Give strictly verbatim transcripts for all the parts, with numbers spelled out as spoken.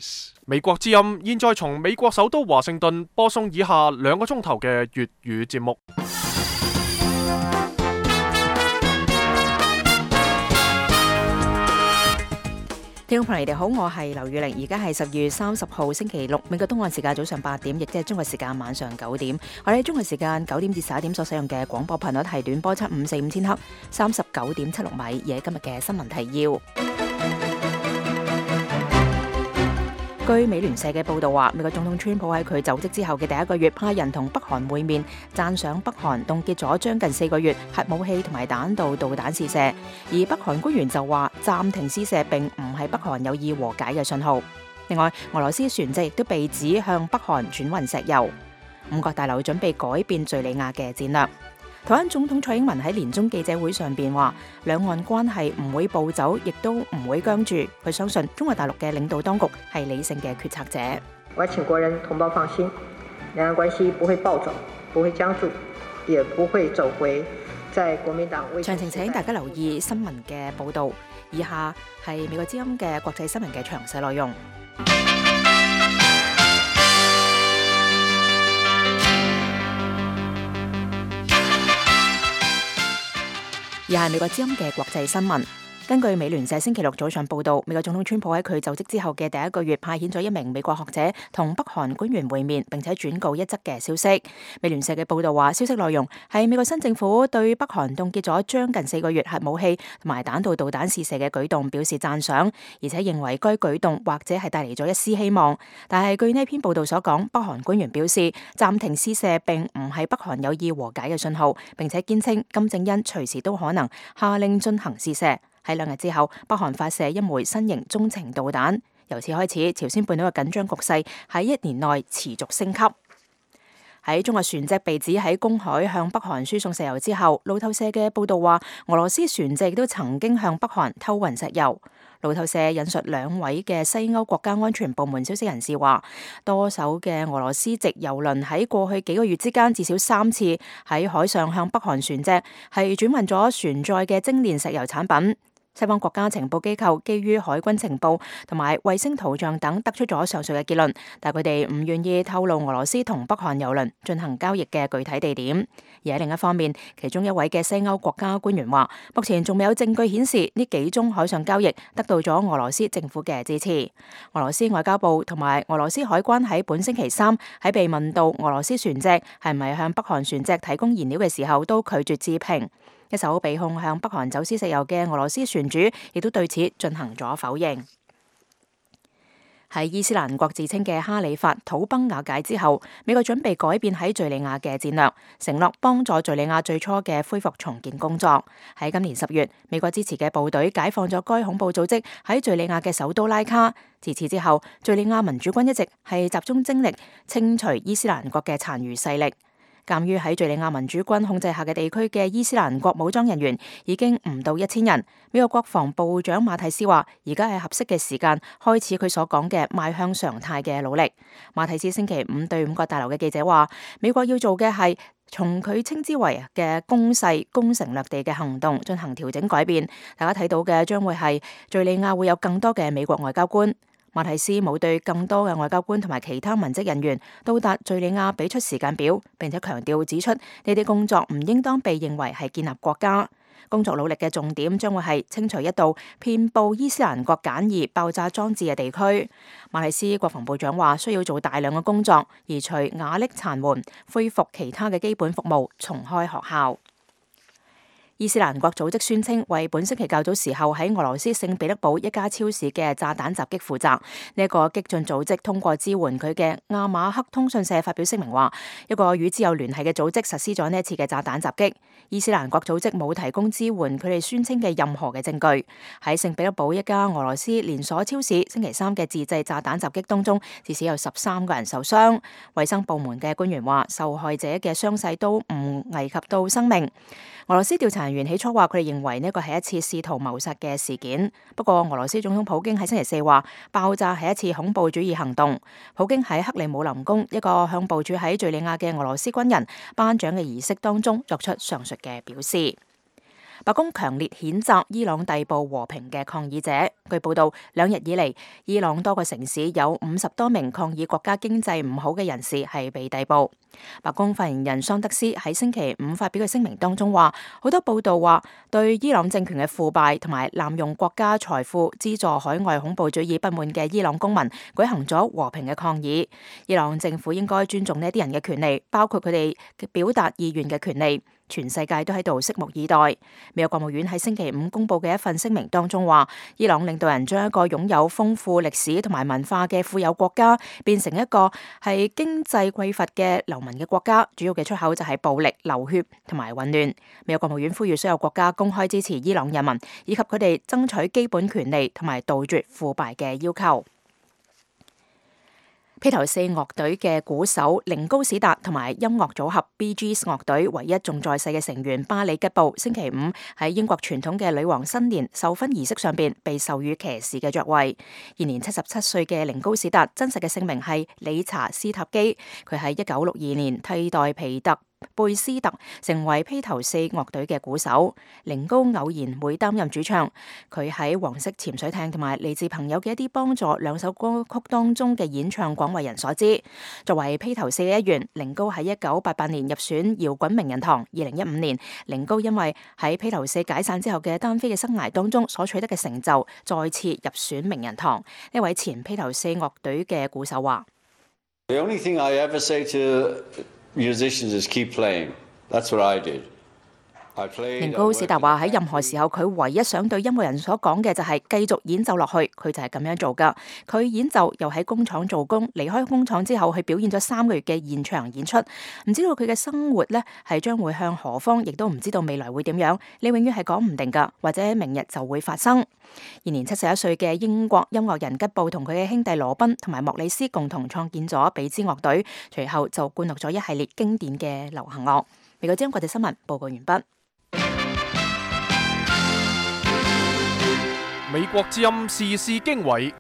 Days。美國之音現在從美國首都華盛頓播送以下兩個鐘頭嘅粵語節目。聽眾朋友，你哋好，我係劉宇玲，而家係十月三十號星期六，美國東岸時間早上八點，亦即係中國時間晚上九點。我哋喺中國時間九點至十一點所使用嘅廣播頻率係短波七五四五千赫，三十九點七六米。而喺今日嘅新聞提要，據美聯社嘅報道話，美國總統川普喺佢就職之後嘅第一個月，派人同北韓會面，讚賞北韓凍結咗將近四個月核武器同埋彈道導彈試射。而北韓官員就話暫停試射並唔係北韓有意和解嘅信號。另外，俄羅斯船隻亦都被指向北韓轉運石油。五角大樓準備改變敘利亞嘅戰略。台灣總統蔡英文喺年終記者會上邊話，兩岸關係唔會暴走，亦都唔會僵住。佢相信中國大陸嘅領導當局係理性嘅決策者。我請國人同胞放心，兩岸關係不會暴走，不會僵住，也不會走回在國民黨。詳情請大家留意新聞嘅報道。以下係美國之音嘅國際新聞嘅詳細內容。而係美國之音嘅國際新聞。根據美聯社星期六早上報道，美國總統川普喺佢就職之後嘅第一個月，派遣咗一名美國學者同北韓官員會面，並且轉告一則嘅消息。美聯社嘅報道話，消息內容係美國新政府對北韓凍結咗將近四個月核武器同埋彈道導彈試射嘅舉動表示讚賞，而且認為該舉動或者係帶嚟咗一絲希望。但係據呢篇報道所講，北韓官員表示暫停試射並唔係北韓有意和解嘅信號，並且堅稱金正恩隨時都可能下令進行試射。喺兩日之後，北韓發射一枚新型中程導彈，由此開始，朝鮮半島嘅緊張局勢喺一年內持續升級。喺中國船隻被指喺公海向北韓輸送石油之後，路透社嘅報道話，俄羅斯船隻亦都曾經向北韓偷運石油。路透社引述兩位嘅西歐國家安全部門消息人士話，多艘嘅俄羅斯籍油輪喺過去幾個月之間至少三次喺海上向北韓船隻係轉運咗船載嘅精煉石油產品。西方國家情報機構基於海軍情報同埋衛星圖像等得出咗上述嘅結論，但佢哋唔願意透露俄羅斯同北韓油輪進行交易嘅具體地點。而喺另一方面，其中一位嘅西歐國家官員話，目前仲未有證據顯示呢幾宗海上交易得到咗俄羅斯政府嘅支持。俄羅斯外交部同埋俄羅斯海關喺本星期三喺被問到俄羅斯船隻係咪向北韓船隻提供燃料嘅時候，都拒絕置評。一艘被控向北韓走私石油嘅俄羅斯船主亦都對此進行咗否認。喺伊斯蘭國自稱嘅哈里發土崩瓦解之後，美國準備改變喺敘利亞嘅戰略，承諾幫助敘利亞最初嘅恢復重建工作。喺今年十月，美國支持嘅部隊解放咗該恐怖組織喺敘利亞嘅首都拉卡。自此之後，敘利亞民主軍一直係集中精力清除伊斯蘭國嘅殘餘勢力。鑒於喺敘利亞民主軍控制下嘅地區嘅伊斯蘭國武裝人員已經唔到一千人，美國國防部長馬蒂斯話，而家係合適嘅時間開始佢所講嘅邁向常態嘅努力。馬蒂斯星期五對五角大樓嘅記者話，美國要做嘅係從佢稱之為嘅攻勢攻城略地嘅行動進行調整改變。大家睇到嘅將會係敘利亞會有更多嘅美國外交官。馬蒂斯冇對更多嘅外交官同埋其他文職人員到達敘利亞俾出時間表，並且強調指出呢啲工作唔應當被認為係建立國家。工作努力嘅重點將會係清除一道遍佈伊斯蘭國簡易爆炸裝置嘅地區。馬蒂斯國防部長話，需要做大量嘅工作，移除瓦礫殘垣，恢復其他嘅基本服務，重開學校。伊斯蘭國組織宣稱為本星期較早時候喺俄羅斯聖彼得堡一家超市嘅炸彈襲擊負責。呢、這、一個激進組織通過支援佢嘅亞馬克通訊社發表聲明話，一個與之有聯繫嘅組織實施咗呢一次嘅炸彈襲擊。伊斯蘭國組織冇提供支援佢哋宣稱嘅任何嘅證據。喺聖彼得堡一家俄羅斯連鎖超市星期三嘅自製炸彈襲擊當中，至少有十三個人受傷。衛生部門嘅官員話，受害者嘅傷勢都唔危及到生命。俄羅斯調查人員起初話佢哋認為呢個係一次試圖謀殺嘅事件，不過俄羅斯總統普京喺星期四話爆炸係一次恐怖主義行動。普京喺克里姆林宮一個向部署喺敘利亞嘅俄羅斯軍人頒獎嘅儀式當中作出上述嘅表示。白宮強烈譴責伊朗逮捕和平嘅抗議者。據報道，兩日以嚟，伊朗多個城市有五十多名抗議國家經濟唔好嘅人士係被逮捕。白宮發言人桑德斯喺星期五發表嘅聲明當中話，好多報道話對伊朗政權嘅腐敗同埋濫用國家財富資助海外恐怖主義不滿嘅伊朗公民舉行咗和平嘅抗議。伊朗政府應該尊重呢啲人嘅權利，包括佢哋表達意願嘅權利。全世界都喺度拭目以待。美國國務院喺星期五公布嘅一份聲明當中話，伊朗領導人將一個擁有豐富歷史同埋文化嘅富有國家變成一個係經濟匱乏嘅流民嘅國家，主要嘅出口就係暴力、流血同埋混亂。美國國務院呼籲所有國家公開支持伊朗人民，以及佢哋爭取基本權利同埋杜絕腐敗嘅要求。披頭四樂隊嘅鼓手寧高史達同埋音樂組合 Bee Gees 樂隊唯一仲在世嘅成員巴里吉布，星期五喺英國傳統嘅女王新年授勳儀式上邊被授予騎士嘅爵位。現年七十七歲嘅寧高史達真實嘅姓名係理查斯塔基，佢喺一九六二年替代皮特貝斯特成為披頭四樂隊嘅鼓手。寧高偶然會擔任主唱，佢喺黃色潛水艇同埋嚟自朋友嘅一啲幫助兩首歌曲當中嘅演唱廣為人所知。作為披頭四嘅一員，寧高喺一九八八年入選搖滾名人堂。二零一五年，寧高因為喺披頭四解散之後嘅單飛嘅生涯當中所取得嘅成就，再次入選名人堂。呢位前披頭四樂隊嘅鼓手話：The only thing I ever say to musicians is keep playing. That's what I did. 寧高史達話喺任何時候，佢唯一想對音樂人所講嘅就係繼續演奏落去，佢就係咁樣做噶。佢演奏又喺工廠做工，離開工廠之後，去表演咗三個月嘅現場演出。唔知道佢嘅生活呢係將會向何方，亦都唔知道未來會點樣。你永遠係講唔定噶，或者明日就會發生。現年七十一歲嘅英國音樂人吉布同佢嘅兄弟羅賓同埋莫里斯共同創建咗比茲樂隊，隨後就灌錄咗一系列經典嘅流行樂。美國之音國際新聞報告完畢。美國之音時事經緯，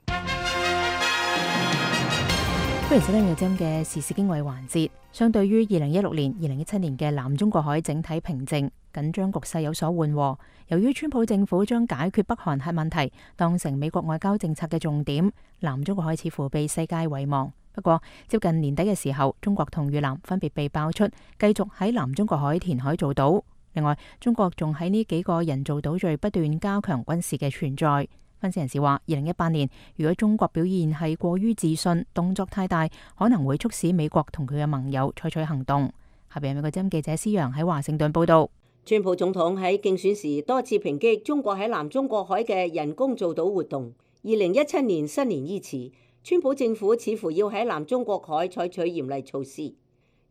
歡迎收聽美國之音嘅時事經緯環節。相對於二零一六年、二零一七年嘅南中國海整體平靜，緊張局勢有所緩和。由於川普政府將解決北韓核問題當成美國外交政策嘅重點，南中國海似乎被世界遺忘。不過，接近年底嘅時候，中國同越南分別被爆出繼續喺南中國海填海造島。另外，中國仲喺呢幾個人造島嶼不斷加強軍事嘅存在。分析人士話，二零一八年如果中國表現係過於自信，動作太大，可能會促使美國同佢嘅盟友採取行動。下邊美國之音記者施陽喺華盛頓報道。川普總統喺競選時多次抨擊中國喺南中國海嘅人工造島活動。二零一七年新年伊始，川普政府似乎要喺南中國海採取嚴厲措施。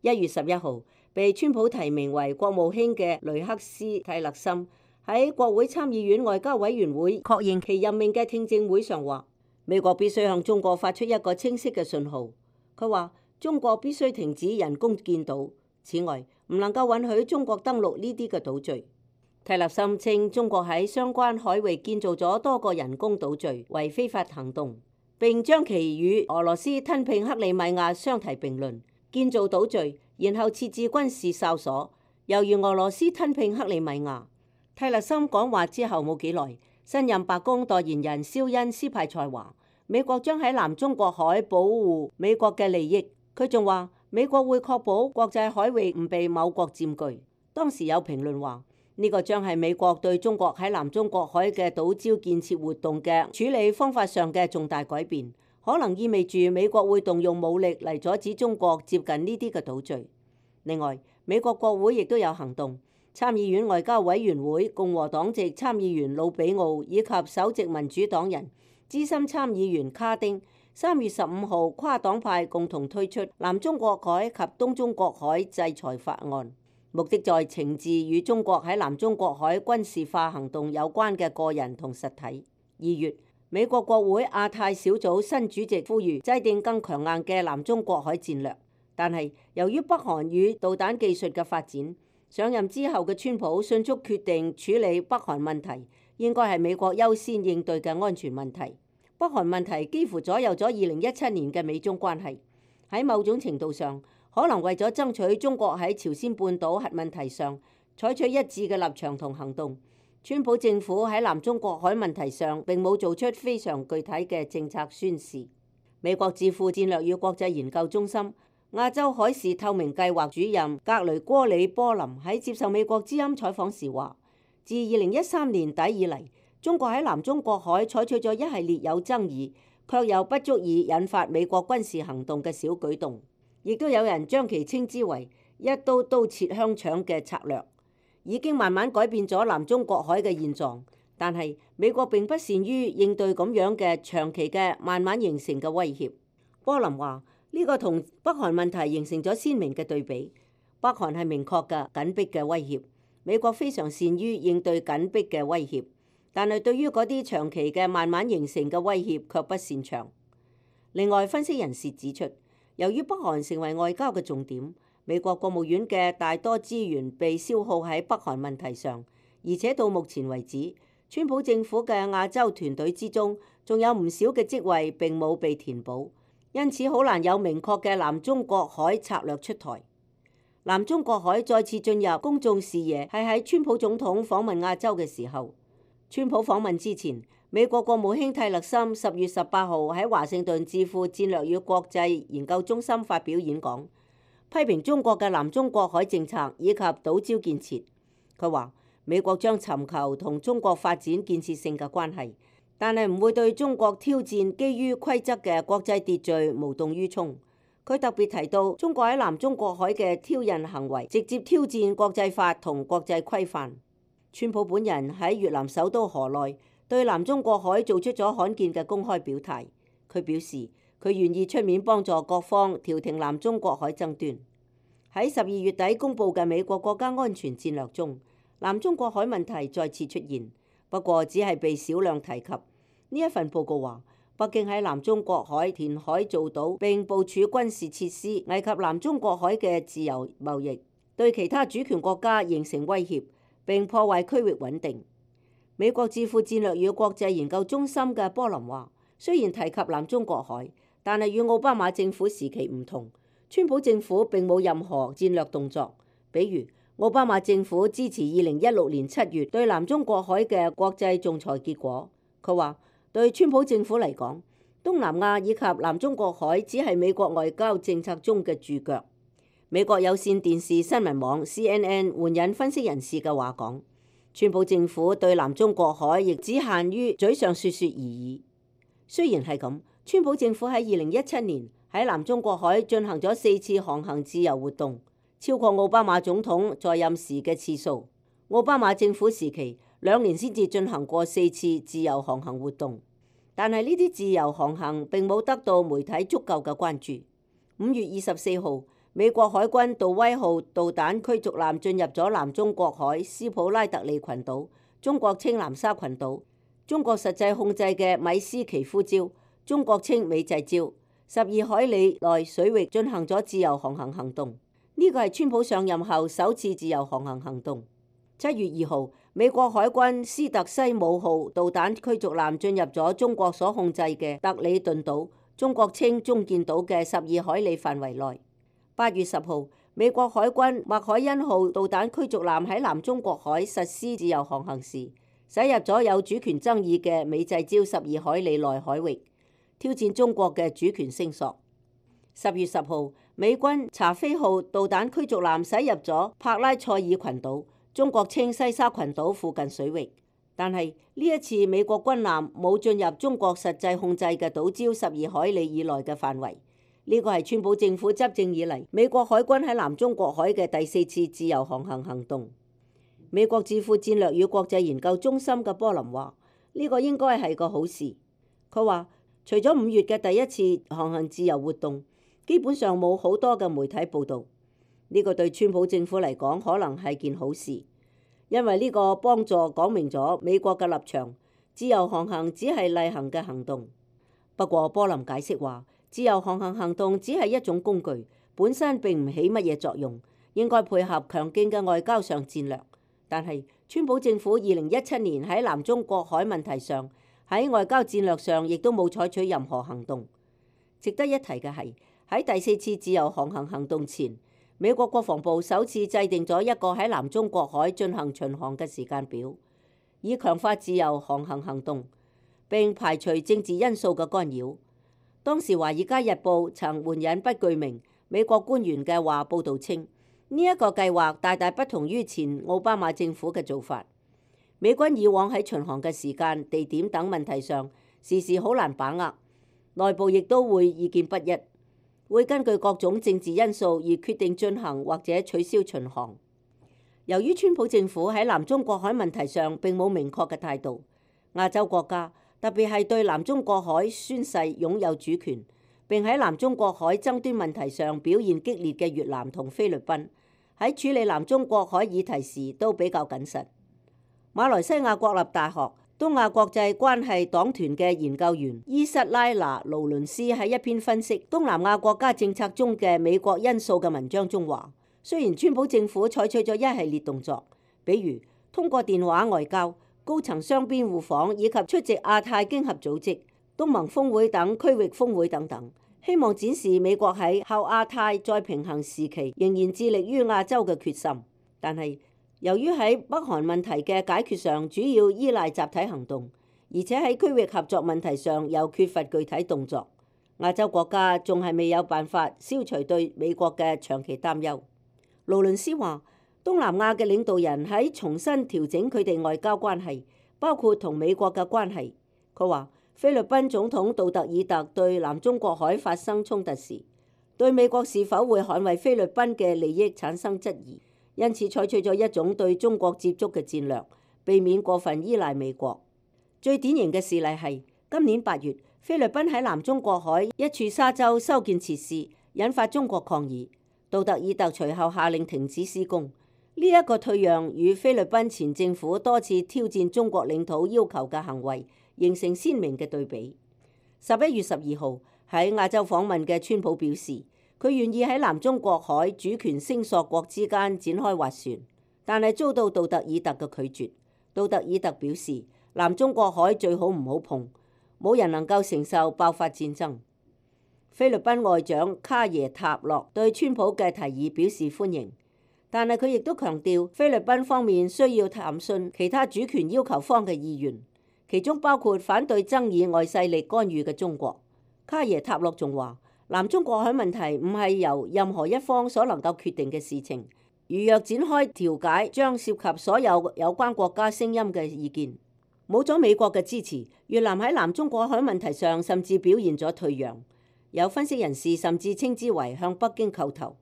一月十一號，被川普提名為國務卿嘅雷克斯泰勒森喺國會參議院外交委員會確認其任命嘅聽證會上話，美國必須向中國發出一個清晰嘅信號。佢話中國必須停止人工建島，此外唔能夠允許中國登陸呢啲嘅島嶼。泰勒森稱中國喺相關海域建造咗多個人工島嶼為非法行動，並將其與俄羅斯吞併克里米亞相提並論。建造島嶼，然後設置軍事哨所，猶如俄羅斯吞併克里米亞。泰勒森講話之後冇幾耐，新任白宮代言人肖恩斯派塞話，美國將喺南中國海保護美國嘅利益。佢仲話，美國會確保國際海域唔被某國佔據。當時有評論話，呢個將係美國對中國喺南中國海嘅島礁建設活動嘅處理方法上嘅重大改變。可能意味住美國會動用武力嚟阻止中國接近呢啲嘅島嶼。另外，美國國會亦都有行動。參議院外交委員會共和黨籍參議員魯比奧以及首席民主黨人資深參議員卡丁，三月十五號跨黨派共同推出南中國海及東中國海制裁法案，目的在懲治與中國喺南中國海軍事化行動有關嘅個人同實體。二月，美國國會亞太小組新主席呼籲制定更強硬嘅南中國海戰略，但係由於北韓與導彈技術嘅發展，上任之後嘅川普迅速決定處理北韓問題，應該係美國優先應對嘅安全問題。北韓問題幾乎左右咗二零一七年嘅美中關係，喺某種程度上，可能為咗爭取中國喺朝鮮半島核問題上採取一致嘅立場同行動，川普政府喺南中國海問題上並冇做出非常具體嘅政策宣示。美國智庫戰略與國際研究中心亞洲海事透明計劃主任格雷戈里波林喺接受美國之音採訪時話，自二零一三年底以嚟，中國喺南中國海採取咗一系列有爭議卻又不足以引發美國軍事行動嘅小舉動，亦都有人將其稱之為一刀刀切香腸嘅策略，已經慢慢改變咗南中國海嘅現狀。但係美國並不善於應對咁樣嘅長期嘅慢慢形成嘅威脅。波林話：呢個同北韓問題形成咗鮮明嘅對比。北韓係明確嘅緊迫嘅威脅，美國非常善於應對緊迫嘅威脅，但係對於嗰啲長期嘅慢慢形成嘅威脅卻不擅長。另外，分析人士指出，由於北韓成為外交嘅重點，美國國務院嘅大多資源被消耗喺北韓問題上，而且到目前為止，川普政府嘅亞洲團隊之中，仲有唔少嘅職位並冇被填補，因此好難有明確嘅南中國海策略出台。南中國海再次進入公眾視野係喺川普總統訪問亞洲嘅時候。川普訪問之前，美國國務卿蒂勒森十月十八號喺華盛頓智庫戰略與國際研究中心發表演講，批評中國嘅南中國海政策以及島礁建設。佢話美國將尋求同中國發展建設性嘅關係，但係唔會對中國挑戰基於規則嘅國際秩序無動於衷。佢特別提到中國喺南中國海嘅挑釁行為，直接挑戰國際法同國際規範。川普本人喺越南首都河內對南中國海做出咗罕見嘅公開表態。佢表示佢願意出面幫助各方調停南中國海爭端。喺十二月底公佈嘅美國國家安全戰略中，南中國海問題再次出現，不過只係被少量提及。呢一份報告話，北京喺南中國海填海造島並部署軍事設施，危及南中國海嘅自由貿易，對其他主權國家形成威脅，並破壞區域穩定。美國智庫戰略與國際研究中心嘅波林話，雖然提及南中國海，但係與奧巴馬政府時期唔同，川普政府並冇任何戰略動作。比如奧巴馬政府支持二零一六年七月對南中國海嘅國際仲裁結果。佢話對川普政府嚟講，東南亞以及南中國海只係美國外交政策中嘅注腳。美國有線電視新聞網 C N N 援引分析人士嘅話講，川普政府對南中國海亦只限於嘴上說說而已。雖然係咁，川普政府喺二零一七年喺南中國海進行咗四次航行自由活動，超過奧巴馬總統在任時嘅次數。奧巴馬政府時期兩年先至進行過四次自由航行活動，但係呢啲自由航行並冇得到媒體足夠嘅關注。五月二十四號，美國海軍杜威號導彈驅逐艦進入咗南中國海斯普拉特利群島，中國稱南沙群島，中國實際控制嘅米斯奇夫礁，中國稱美濟礁，十二海里內水域進行咗自由航行行動。呢個係川普上任後首次自由航行行動。七月二號，美國海軍斯特西姆號導彈驅逐艦進入咗中國所控制嘅特里頓島，中國稱中建島嘅十二海里範圍內。八月十號，美國海軍麥凱恩號導彈驅逐艦喺南中國海實施自由航行時，駛入咗有主權爭議嘅美濟礁十二海里內海域，挑戰中國嘅主權聲索。十月十號，美軍查菲號導彈驅逐艦駛入咗帕拉塞爾群島，中國稱西沙群島附近水域。但係呢一次美國軍艦冇進入中國實際控制嘅島礁十二海里以內嘅範圍。呢個係川普政府執政以嚟美國海軍喺南中國海嘅第四次自由航行行動。美國智庫戰略與國際研究中心嘅波林話：呢個應該係個好事。佢話除咗五月嘅第一次航行自由活動，基本上冇好多嘅媒體報導。呢個對川普政府嚟講可能係件好事，因為呢個幫助講明咗美國嘅立場，自由航行只係例行嘅行動。不過波林解釋話，自由航行行動只係一種工具，本身並唔起乜嘢作用，應該配合強勁嘅外交上戰略。但係川普政府二零一七年喺南中國海問題上，喺外交戰略上亦都冇採取任何行動。值得一提嘅係，喺第四次自由航行行動前，美國國防部首次制定咗一個喺南中國海進行巡航嘅時間表。以強化自由航行行動，並排除政治因素嘅干擾。當時《華爾街日報》曾援引不具名美國官員嘅話報導稱，呢一個計劃大大不同於前奧巴馬政府嘅做法。美軍以往喺巡航嘅時間、地點等問題上，時時好難把握，內部亦都會意見不一，會根據各種政治因素而決定進行或者取消巡航。由於川普政府喺南中國海問題上並冇明確嘅態度，亞洲國家特別係對南中國海宣誓擁有主權，並喺南中國海爭端問題上表現激烈嘅越南同菲律賓，喺處理南中國海議題時都比較謹慎。馬來西亞國立大學東亞國際關係黨團嘅研究員伊瑟拉拿勞倫斯喺一篇分析東南亞國家政策中嘅美國因素嘅文章中話，雖然川普政府採取咗一系列動作，比如通過電話外交、高層雙邊互訪以及出席亞太經合組織、東盟峰會等區域峰會等等，希望展示美國喺後亞太再平衡時期仍然致力於亞洲嘅決心。但係由於喺北韓問題嘅解決上主要依賴集體行動，而且喺區域合作問題上又缺乏具體動作，亞洲國家仲係未有辦法消除對美國嘅長期擔憂。勞倫斯話，東南亞嘅領導人喺重新調整佢哋外交關係，包括同美國嘅關係。佢話，菲律賓總統杜特爾特對南中國海發生衝突時，對美國是否會捍衛菲律賓嘅利益產生質疑，因此採取咗一種對中國接觸嘅戰略，避免過分依賴美國。最典型嘅事例係今年八月，菲律賓喺南中國海一處沙洲修建設施，引發中國抗議。杜特爾特隨後下令停止施工，呢、這、一個退讓與菲律賓前政府多次挑戰中國領土要求嘅行為形成鮮明嘅對比。十一月十二號喺亞洲訪問嘅川普表示，佢願意喺南中國海主權聲索國之間展開斡旋，但係遭到杜特爾特嘅拒絕。杜特爾特表示，南中國海最好唔好碰，冇人能夠承受爆發戰爭。菲律賓外長卡耶塔洛對川普嘅提議表示歡迎，但係佢亦都強調菲律賓方面需要探詢其他主權要求方嘅意願，其中包括反對爭議外勢力干預嘅中國。卡耶塔洛仲話，南中國海問題唔係由任何一方所能夠決定嘅事情，如若展開調解，將涉及所有有關國家聲音嘅意見。冇咗美國嘅支持，越南喺南中國海問題上甚至表現咗退讓。有分析人士甚至稱之為向北京叩頭。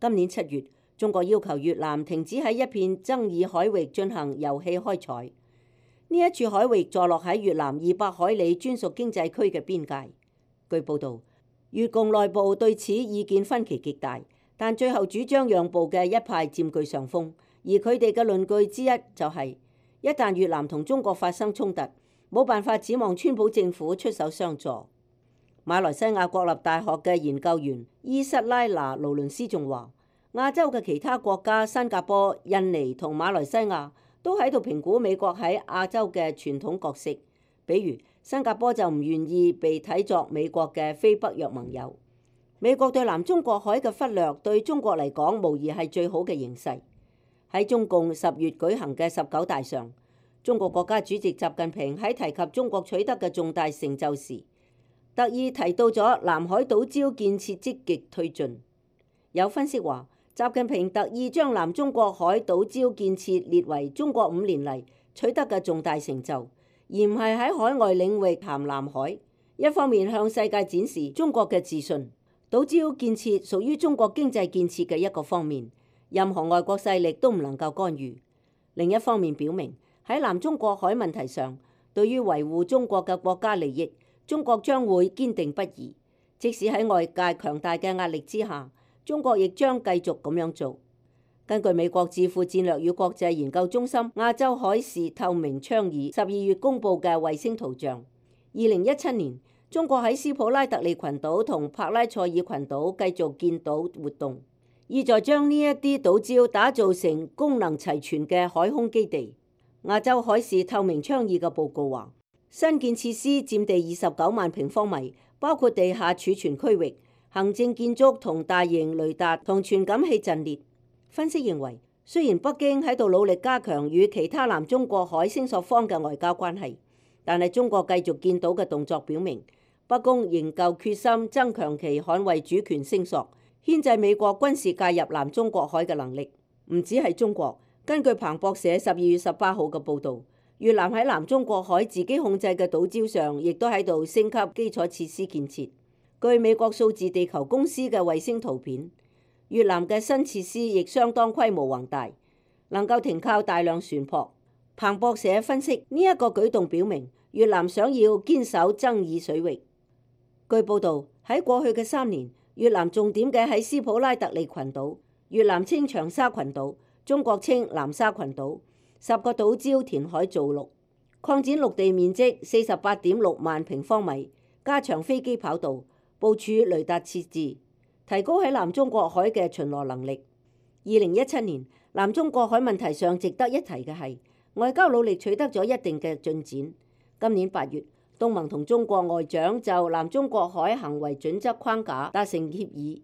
今年七月，中國要求越南停止喺一片爭議海域進行油氣開採。呢一處海域坐落喺越南二百海里專屬經濟區嘅邊界。據報導，越共內部對此意見分歧極大，但最後主張讓步嘅一派佔據上風，而佢哋嘅論據之一就係、是，一旦越南同中國發生衝突，冇辦法指望川普政府出手相助。馬來西亞國立大學嘅研究員伊瑟拉拿勞倫斯仲話，亞洲嘅其他國家新加坡、印尼同馬來西亞都喺度評估美國喺亞洲嘅傳統角色，比如新加坡就唔願意被睇作美國嘅非北約盟友。美國對南中國海嘅忽略對中國嚟講無疑係最好嘅形勢。喺中共十月舉行嘅十九大上，中國國家主席習近平喺提及中國取得嘅重大成就時，特意提到咗南海島礁建設積極推進。有分析話，習近平特意將南中國海島礁建設列為中國五年嚟取得嘅重大成就，而唔係喺海外領域談南海。一方面向世界展示中國嘅自信，島礁建設屬於中國經濟建設嘅一個方面，任何外國勢力都唔能夠干預。另一方面表明喺南中國海問題上，對於維護中國嘅國家利益，中國將會堅定不移，即使喺外界強大嘅壓力之下，中國亦將繼續咁樣做。根據美國智庫戰略與國際研究中心亞洲海事透明倡議十二月公佈嘅衛星圖像，二零一七年中國喺斯普拉特利群島同帕拉塞爾群島繼續建島活動，意在將呢一啲島礁打造成功能齊全嘅海空基地。亞洲海事透明倡議嘅報告話，新建設施佔地二十九萬平方米，包括地下儲存區域、行政建築同大型雷達同傳感器陣列。分析認為，雖然北京喺度努力加強與其他南中國海聲索方嘅外交關係，但係中國繼續見到嘅動作表明，北京仍舊決心增強其捍衛主權聲索、牽制美國軍事介入南中國海嘅能力。唔止係中國，根據彭博社十二月十八號嘅報導，越南喺南中國海自己控制嘅島礁上，亦都喺度升級基礎設施建設。據美國數字地球公司嘅衛星圖片，越南嘅新設施亦相當規模宏大，能夠停靠大量船舶。彭博社分析，呢一個舉動表明越南想要堅守爭議水域。據報導，喺過去嘅三年，越南重點嘅喺斯普拉特利群島，越南稱長沙群島，中國稱南沙群島，十個島礁填海造陸，擴展陸地面積四十八點六萬平方米，加長飛機跑道，部署雷達設置，提高喺南中國海嘅巡邏能力。二零一七年，南中國海問題上值得一提嘅係，外交努力取得咗一定嘅進展。今年八月，東盟同中國外長就南中國海行為準則框架達成協議。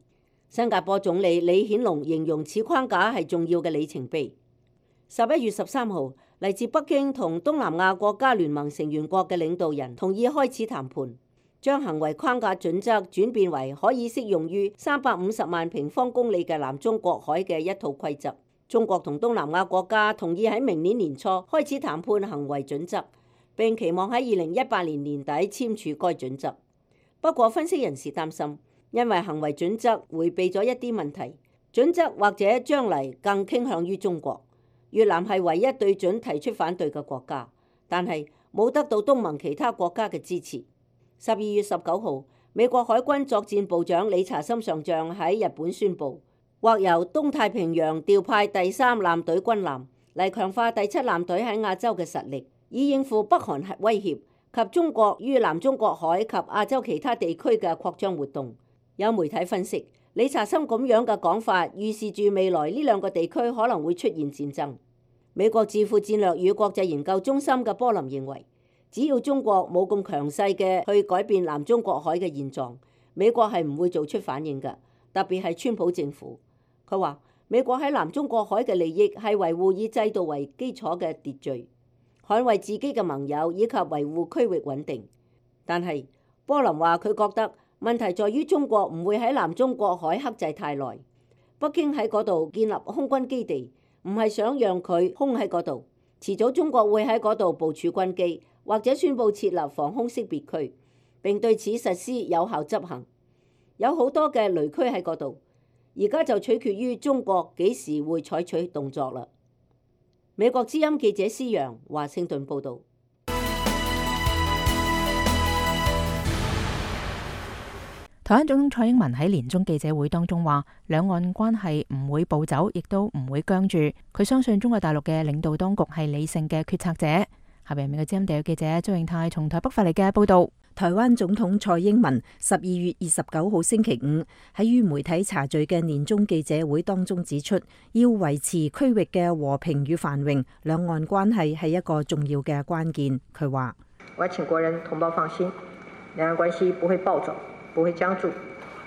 新加坡總理李顯龍形容此框架係重要嘅里程碑。十一月十三號，嚟自北京同東南亞國家聯盟成員國嘅領導人同意開始談判，將行為框架準則轉變為可以適用於三百五十萬平方公里嘅南中國海嘅一套規則。中國同東南亞國家同意喺明年年初開始談判行為準則，並期望喺二零一八年年底簽署該準則。不過分析人士擔心，因為行為準則迴避咗一啲問題，準則或者將嚟更傾向於中國。越南係唯一對準提出反對嘅國家，但係冇得到東盟其他國家嘅支持。十二月十九號，美國海軍作戰部長理查森上將喺日本宣布，或由東太平洋調派第三艦隊軍艦嚟強化第七艦隊喺亞洲嘅實力，以應付北韓核威脅及中國於南中國海及亞洲其他地區嘅擴張活動。有媒體分析，理查森咁樣嘅講法預示住未來呢兩個地區可能會出現戰爭。美國智庫戰略與國際研究中心嘅波林認為，只要中國冇咁強勢嘅去改變南中國海嘅現狀，美國係唔會做出反應嘅，特別係川普政府。佢話美國喺南中國海嘅利益係維護以制度為基礎嘅秩序，捍衛自己嘅盟友以及維護區域穩定。但係波林話佢覺得問題在於中國唔會喺南中國海克制太耐，北京喺嗰度建立空軍基地，唔係想讓佢空喺嗰度，遲早中國會喺嗰度部署軍機，或者宣布設立防空識別區，並對此實施有效執行。有好多嘅雷區喺嗰度，而家就取決於中國幾時會採取動作啦。美國之音記者施洋華盛頓報導。台灣總統蔡英文喺年終記者會當中話，兩岸關係唔會暴走，亦都唔會僵住。佢相信中國大陸嘅領導當局係理性嘅決策者。下邊美國之音地嘅記者張永泰從台北發嚟嘅報道。台灣總統蔡英文十二月二十九號星期五喺與媒體茶敘嘅年終記者會當中指出，要維持區域嘅和平與繁榮，兩岸關係係一個重要嘅關鍵。佢話：我請國人同胞放心，兩岸關係不會暴走，不會僵住，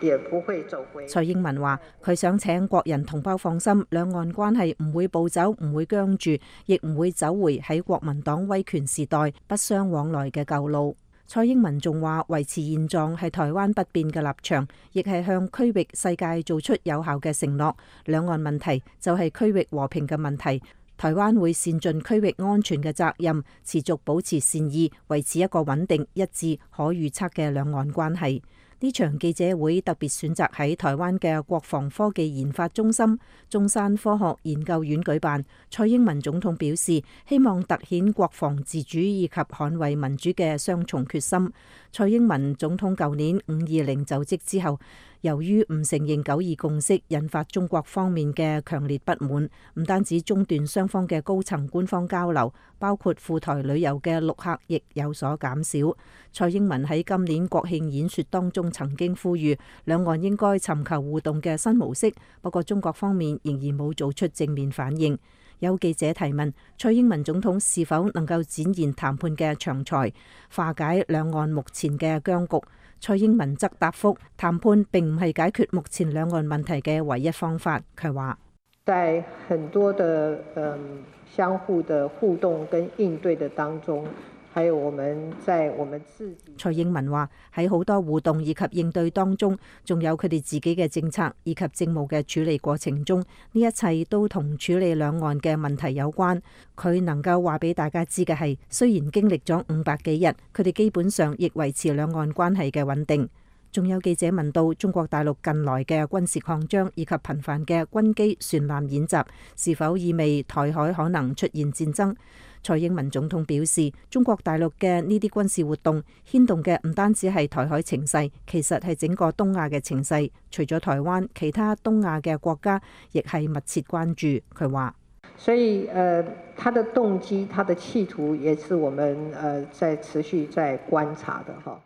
也不會走回。蔡英文話：佢想請國人同胞放心，兩岸關係唔會暴走，唔會僵住，亦唔會走回喺國民黨威權時代不相往來嘅舊路。蔡英文仲話：維持現狀係台灣不變嘅立場，亦係向區域世界做出有效嘅承諾。兩岸問題就係區域和平嘅問題，台灣會善盡區域安全嘅責任，持續保持善意，維持一個穩定、一致、可預測嘅兩岸關係。呢場記者會特別選擇喺台灣嘅國防科技研發中心中山科學研究院舉辦。蔡英文總統表示，希望凸顯國防自主以及捍衛民主嘅雙重決心。蔡英文總統舊年五二零就職之後，由於唔承認九二共識，引發中國方面嘅強烈不滿，唔單止中斷雙方嘅高層官方交流，包括赴台旅遊嘅陸客亦有所減少。蔡英文喺今年國慶演說當中曾經呼籲兩岸應該尋求互動嘅新模式，不過中國方面仍然冇做出正面反應。有記者提問蔡英文總統是否能夠展現談判嘅長才，化解兩岸目前嘅僵局。蔡英文則答覆，談判並唔係解決目前兩岸問題嘅唯一方法。佢話：在很多的嗯相互的互動跟應對的當中，還有我們在我們自己。蔡英文話喺好多互動以及應對當中，仲有佢哋自己嘅政策以及政務嘅處理過程中，呢一切都同處理兩岸嘅問題有關。佢能夠話俾大家知嘅係，雖然經歷咗五百幾日，佢哋基本上亦維持兩岸關係嘅穩定。仲有記者問到中國大陸近來嘅軍事擴張以及頻繁嘅軍機船艦演習，是否意味台海可能出現戰爭？蔡英文總統表示，中國大陸嘅呢啲軍事活動牽動嘅唔單止係台海情勢，其實係整個東亞嘅情勢。除咗台灣，其他東亞嘅國家亦係密切關注。佢話：所以，呃，他的動機、他的企圖，也是我們呃在持續在觀察的。哈，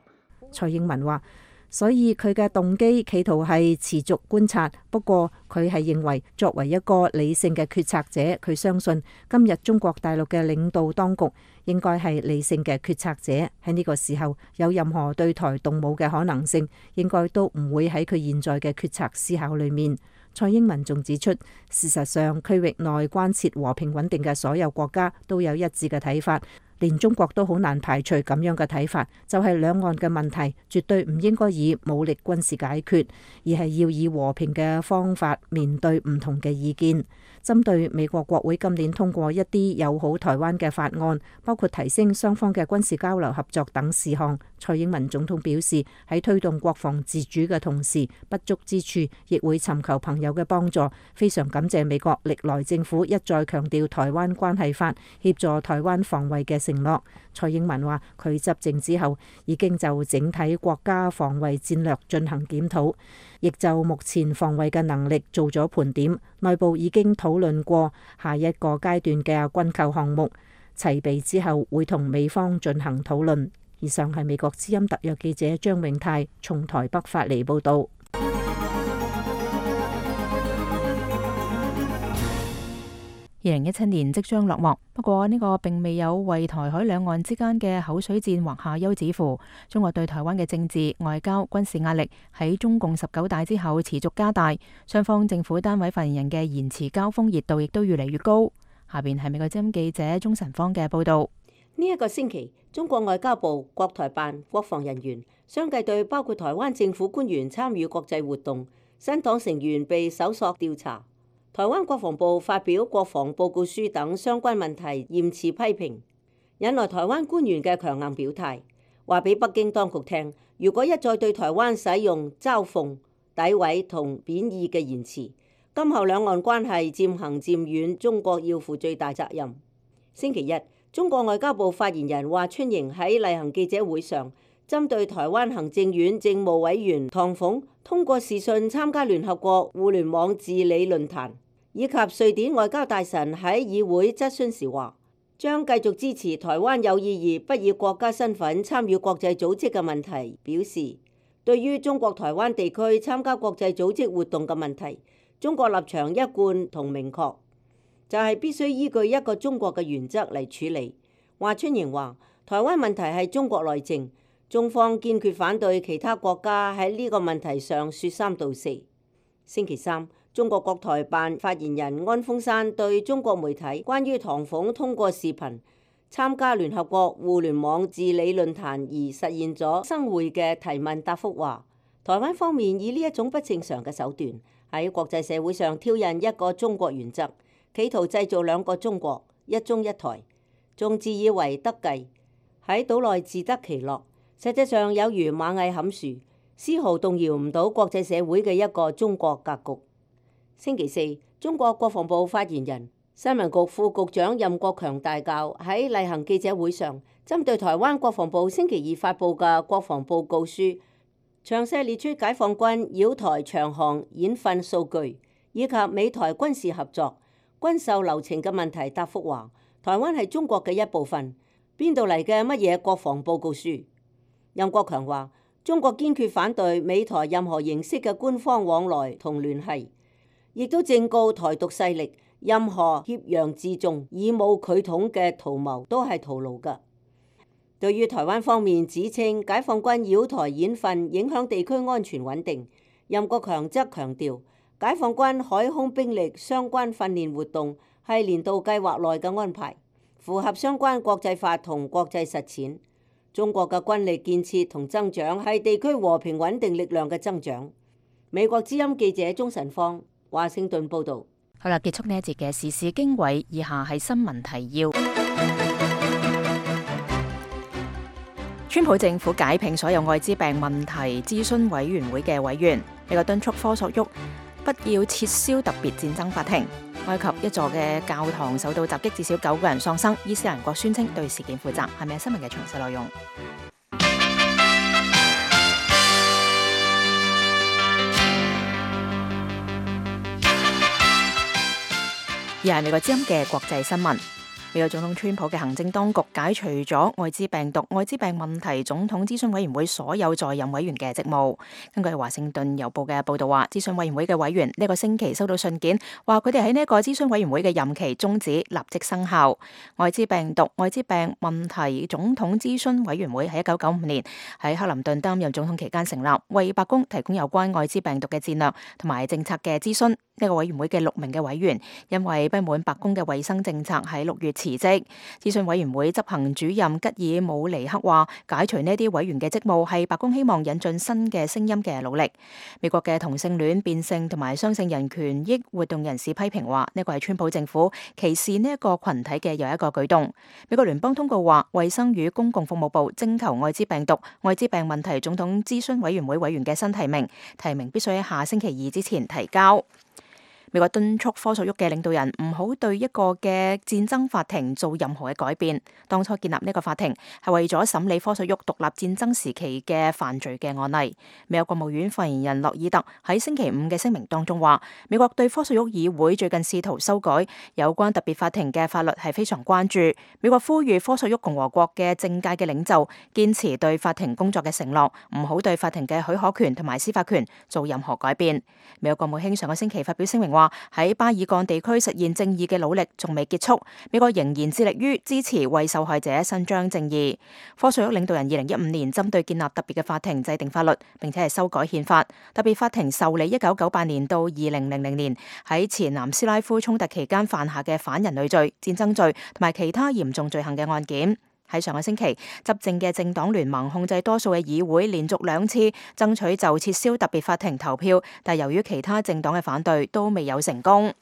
蔡英文話。所以佢嘅動機企圖係持續觀察，不過佢係認為作為一個理性嘅決策者，佢相信今日中國大陸嘅領導當局應該係理性嘅決策者。喺呢個時候有任何對台動武嘅可能性，應該都唔會喺佢現在嘅決策思考裏面。蔡英文仲指出，事實上區域內關切和平穩定嘅所有國家都有一致嘅睇法。連中國都好難排除咁樣嘅睇法，就係兩岸嘅問題絕對唔應該以武力軍事解決，而係要以和平嘅方法面對唔同嘅意見。針對美國國會今年通過一啲友好台灣嘅法案，包括提升雙方嘅軍事交流合作等事項，蔡英文總統表示，喺推動國防自主嘅同時，不足之處亦會尋求朋友嘅幫助。非常感謝美國歷來政府一再強調台灣關係法協助台灣防衛嘅承諾。蔡英文話，佢執政之後已經就整體國家防衛戰略進行檢討，亦就目前防衛嘅能力做咗盤點，內部已經討論過下一個階段嘅軍購項目，齊備之後會同美方進行討論。以上係美國之音特約記者張永泰從台北發嚟報道。二零一七年即將落幕，不過呢個並未有為台海兩岸之間嘅口水戰畫下休止符。中國對台灣嘅政治、外交、軍事壓力喺中共十九大之後持續加大，雙方政府單位發言人嘅言辭交鋒熱度亦都越嚟越高。下邊係美國之音記者鍾晨芳嘅報道。呢一個星期，中國外交部、國台辦、國防人員相繼對包括台灣政府官員參與國際活動、新黨成員被搜索調查、台灣國防部發表國防報告書等相關問題嚴詞批評，引來台灣官員嘅強硬表態，話俾北京當局聽，如果一再對台灣使用嘲諷、詆毀同貶義嘅言辭，今後兩岸關係漸行漸遠，中國要負最大責任。星期一，中國外交部發言人華春瑩喺例行記者會上，針對台灣行政院政務委員唐鳳通過視訊參加聯合國互聯網治理論壇，以及瑞典外交大臣喺議會質詢時話，將繼續支持台灣有意義不以國家身份參與國際組織嘅問題，表示對於中國台灣地區參加國際組織活動嘅問題，中國立場一貫同明確，就係必須依據一個中國嘅原則嚟處理。華春瑩話，台灣問題係中國內政，中方堅決反對其他國家喺呢個問題上説三道四。星期三，中國國台辦發言人安峰山對中國媒體關於唐鳳通過視頻參加聯合國互聯網治理論壇而實現咗生會嘅提問答覆話，台灣方面以呢一種不正常嘅手段喺國際社會上挑釁一個中國原則，企圖製造兩個中國、一中一台，仲自以為得計，喺島內自得其樂，實際上有如螞蟻撼樹，絲毫動搖唔到國際社會嘅一個中國格局。星期四，中國國防部發言人、新聞局副局長任國強大校喺例行記者會上，針對台灣國防部星期二發布嘅國防報告書，詳細列出解放軍繞台長航演訓數據，以及美台軍事合作、軍售流程嘅問題答覆話，台灣係中國嘅一部分，邊度嚟嘅乜嘢國防報告書？任國強話，中國堅決反對美台任何形式嘅官方往來同聯繫，亦都正告台獨勢力，任何挾洋自重、以武拒統嘅圖謀都係徒勞㗎。對於台灣方面指稱解放軍繞台演訓影響地區安全穩定，任國強則強調，解放軍海空兵力相關訓練活動係年度計劃內嘅安排，符合相關國際法同國際實踐。中國嘅軍力建設同增長係地區和平穩定力量嘅增長。美國之音記者鍾晨芳，華盛頓報道。好啦，結束呢一節嘅時事經緯，以下係新聞提要。川普政府解聘所有艾滋病問題諮詢委員會嘅委員，美國敦促科索沃不要撤銷特別戰爭法庭。埃及一座嘅教堂受到襲擊，至少九個人喪生，伊斯蘭國宣稱對事件負責。係咪新聞嘅詳細內容？而係美國之音嘅國際新聞。美國總統川普嘅行政當局解除咗艾滋病毒艾滋病問題總統諮詢委員會所有在任委員嘅職務。根據華盛頓郵報嘅報道話，諮詢委員會嘅委員呢個星期收到信件，話佢哋喺呢一個諮詢委員會嘅任期終止，立即生效。艾滋病毒艾滋病問題總統諮詢委員會喺一九九五年喺克林頓擔任總統期間成立，為白宮提供有關艾滋病毒嘅戰略同埋政策嘅諮詢。呢個委員會嘅六名嘅委員因為不滿白宮嘅衛生政策，喺六月辭職。諮詢委員會執行主任吉爾姆尼克話，解除呢啲委員嘅職務係白宮希望引進新嘅聲音嘅努力。美國嘅同性戀、變性同埋雙性人權益活動人士批評話，呢個係川普政府歧視呢一個群體嘅又一個舉動。美國聯邦通告話，衛生與公共服務部徵求艾滋病毒艾滋病問題總統諮詢委員會委員嘅新提名，提名必須喺下星期二之前提交。美國敦促科索沃嘅領導人唔好對一個嘅戰爭法庭做任何嘅改變。當初建立呢個法庭係為咗審理科索沃獨立戰爭時期嘅犯罪嘅案例。美國國務院發言人洛爾特喺星期五嘅聲明當中話，美國對科索沃議會最近試圖修改有關特別法庭嘅法律係非常關注。美國呼籲科索沃共和國嘅政界嘅領袖堅持對法庭工作嘅承諾，唔好對法庭嘅許可權同埋司法權做任何改變。美國國務卿上個星期發表聲明話，喺巴爾幹地區實現正義嘅努力仲未結束，美國仍然致力於支持為受害者伸張正義。科索沃領導人二零一五年針對建立特別嘅法庭制定法律，並且係修改憲法。特別法庭受理一九九八年到二零零零年喺前南斯拉夫衝突期間犯下嘅反人類罪、戰爭罪同埋其他嚴重罪行嘅案件。喺上個星期，執政嘅政黨聯盟控制多數嘅議會，連續兩次爭取就撤銷特別法庭投票，但由於其他政黨嘅反對，都未有成功。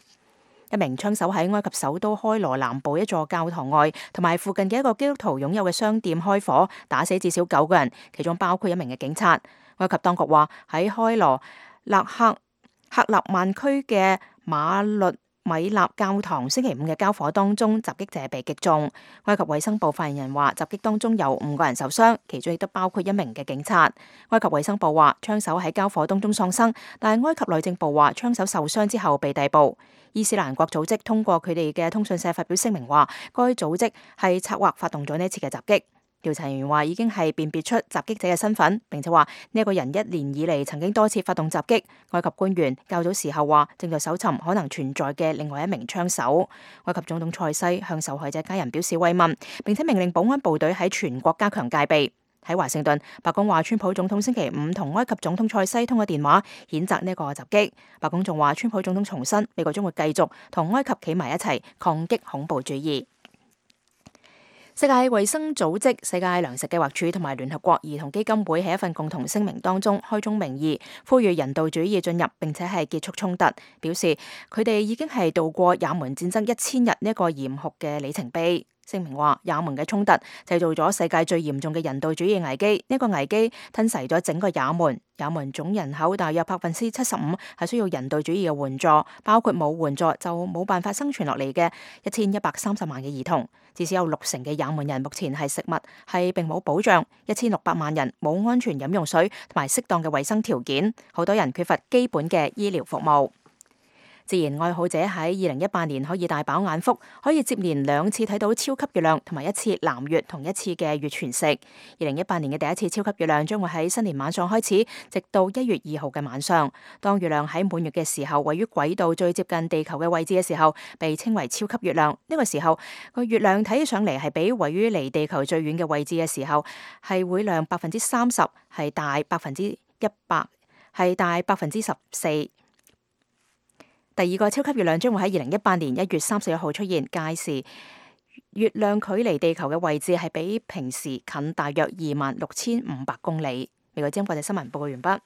一名槍手喺埃及首都開羅南部一座教堂外同埋附近嘅一個基督徒擁有嘅商店開火，打死至少九個人，其中包括一名嘅警察。埃及當局話喺開羅勒克克納曼區嘅馬律米納教堂星期五嘅交火當中，襲擊者被擊中。埃及衛生部發言人話，襲擊當中有五個人受傷，其中亦都包括一名嘅警察。埃及衛生部話，槍手喺交火當中喪生，但係埃及內政部話，槍手受傷之後被逮捕。伊斯蘭國組織通過佢哋嘅通訊社發表聲明話，該組織係策劃發動咗呢次嘅襲擊。調查人員話已經係辨別出襲擊者嘅身份，並且話呢一個人一年以嚟曾經多次發動襲擊。埃及官員較早時候話正在搜尋可能存在嘅另外一名槍手。埃及總統塞西向受害者家人表示慰問，並且命令保安部隊喺全國加強戒備。喺華盛頓，白宮話川普總統星期五同埃及總統塞西通過電話，譴責呢個襲擊。白宮仲話川普總統重申美國將會繼續同埃及企埋一齊抗擊恐怖主義。世界衛生組織、世界糧食計劃署同埋聯合國兒童基金會喺一份共同聲明當中開宗明義，呼籲人道主義進入並且係結束衝突，表示佢哋已經係度過也門戰爭一千日呢一個嚴酷嘅里程碑。聲明話，也門嘅衝突製造咗世界最嚴重嘅人道主義危機，呢個危機吞噬咗整個也門。也門總人口大約百分之七十五係需要人道主義嘅援助，包括冇援助就冇辦法生存落嚟嘅一千一百三十萬嘅兒童。至少有六成嘅也門人目前係食物係並冇保障，一千六百萬人冇安全飲用水同埋適當嘅衛生條件，好多人缺乏基本嘅醫療服務。自然愛好者喺二零一八年可以大飽眼福，可以接連兩次睇到超級月亮同埋一次藍月同一次嘅月全食。二零一八年嘅第一次超級月亮將會喺新年晚上開始，直到一月二號嘅晚上。當月亮喺滿月嘅時候，位於軌道最接近地球嘅位置嘅時候，被稱為超級月亮。呢個時候個月亮睇起上嚟係比位於離地球最遠嘅位置嘅時候係會亮百分之三十，係大百分之一百，係大百分之十四。第二個超級月亮將會喺二零一八年一月三十一號出現，屆時月亮距離地球嘅位置係比平時近大約二萬六千五百公里。美國之音國際新聞報告完畢。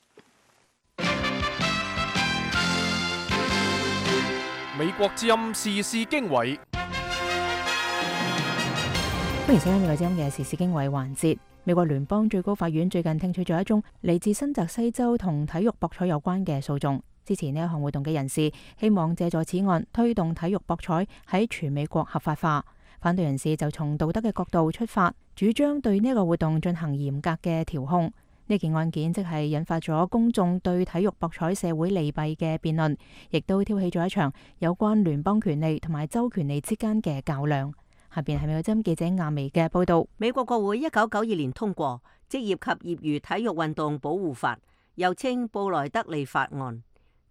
美國之音時事經緯，歡迎收聽美國之音嘅時事經緯環節。美國聯邦最高法院最近聽取咗一宗嚟自新澤西州同體育博彩有關嘅訴訟。支持呢一項活動嘅人士希望借助此案推動體育博彩喺全美國合法化。反對人士就從道德嘅角度出發，主張對呢一個活動進行嚴格嘅調控。呢件案件即係引發咗公眾對體育博彩社會利弊嘅辯論，亦都挑起咗一場有關聯邦權利同埋州權利之間嘅較量。下邊係美國之音記者亞薇嘅報道。美國國會一九九二年通過《職業及業餘體育運動保護法》，又稱布萊德利法案。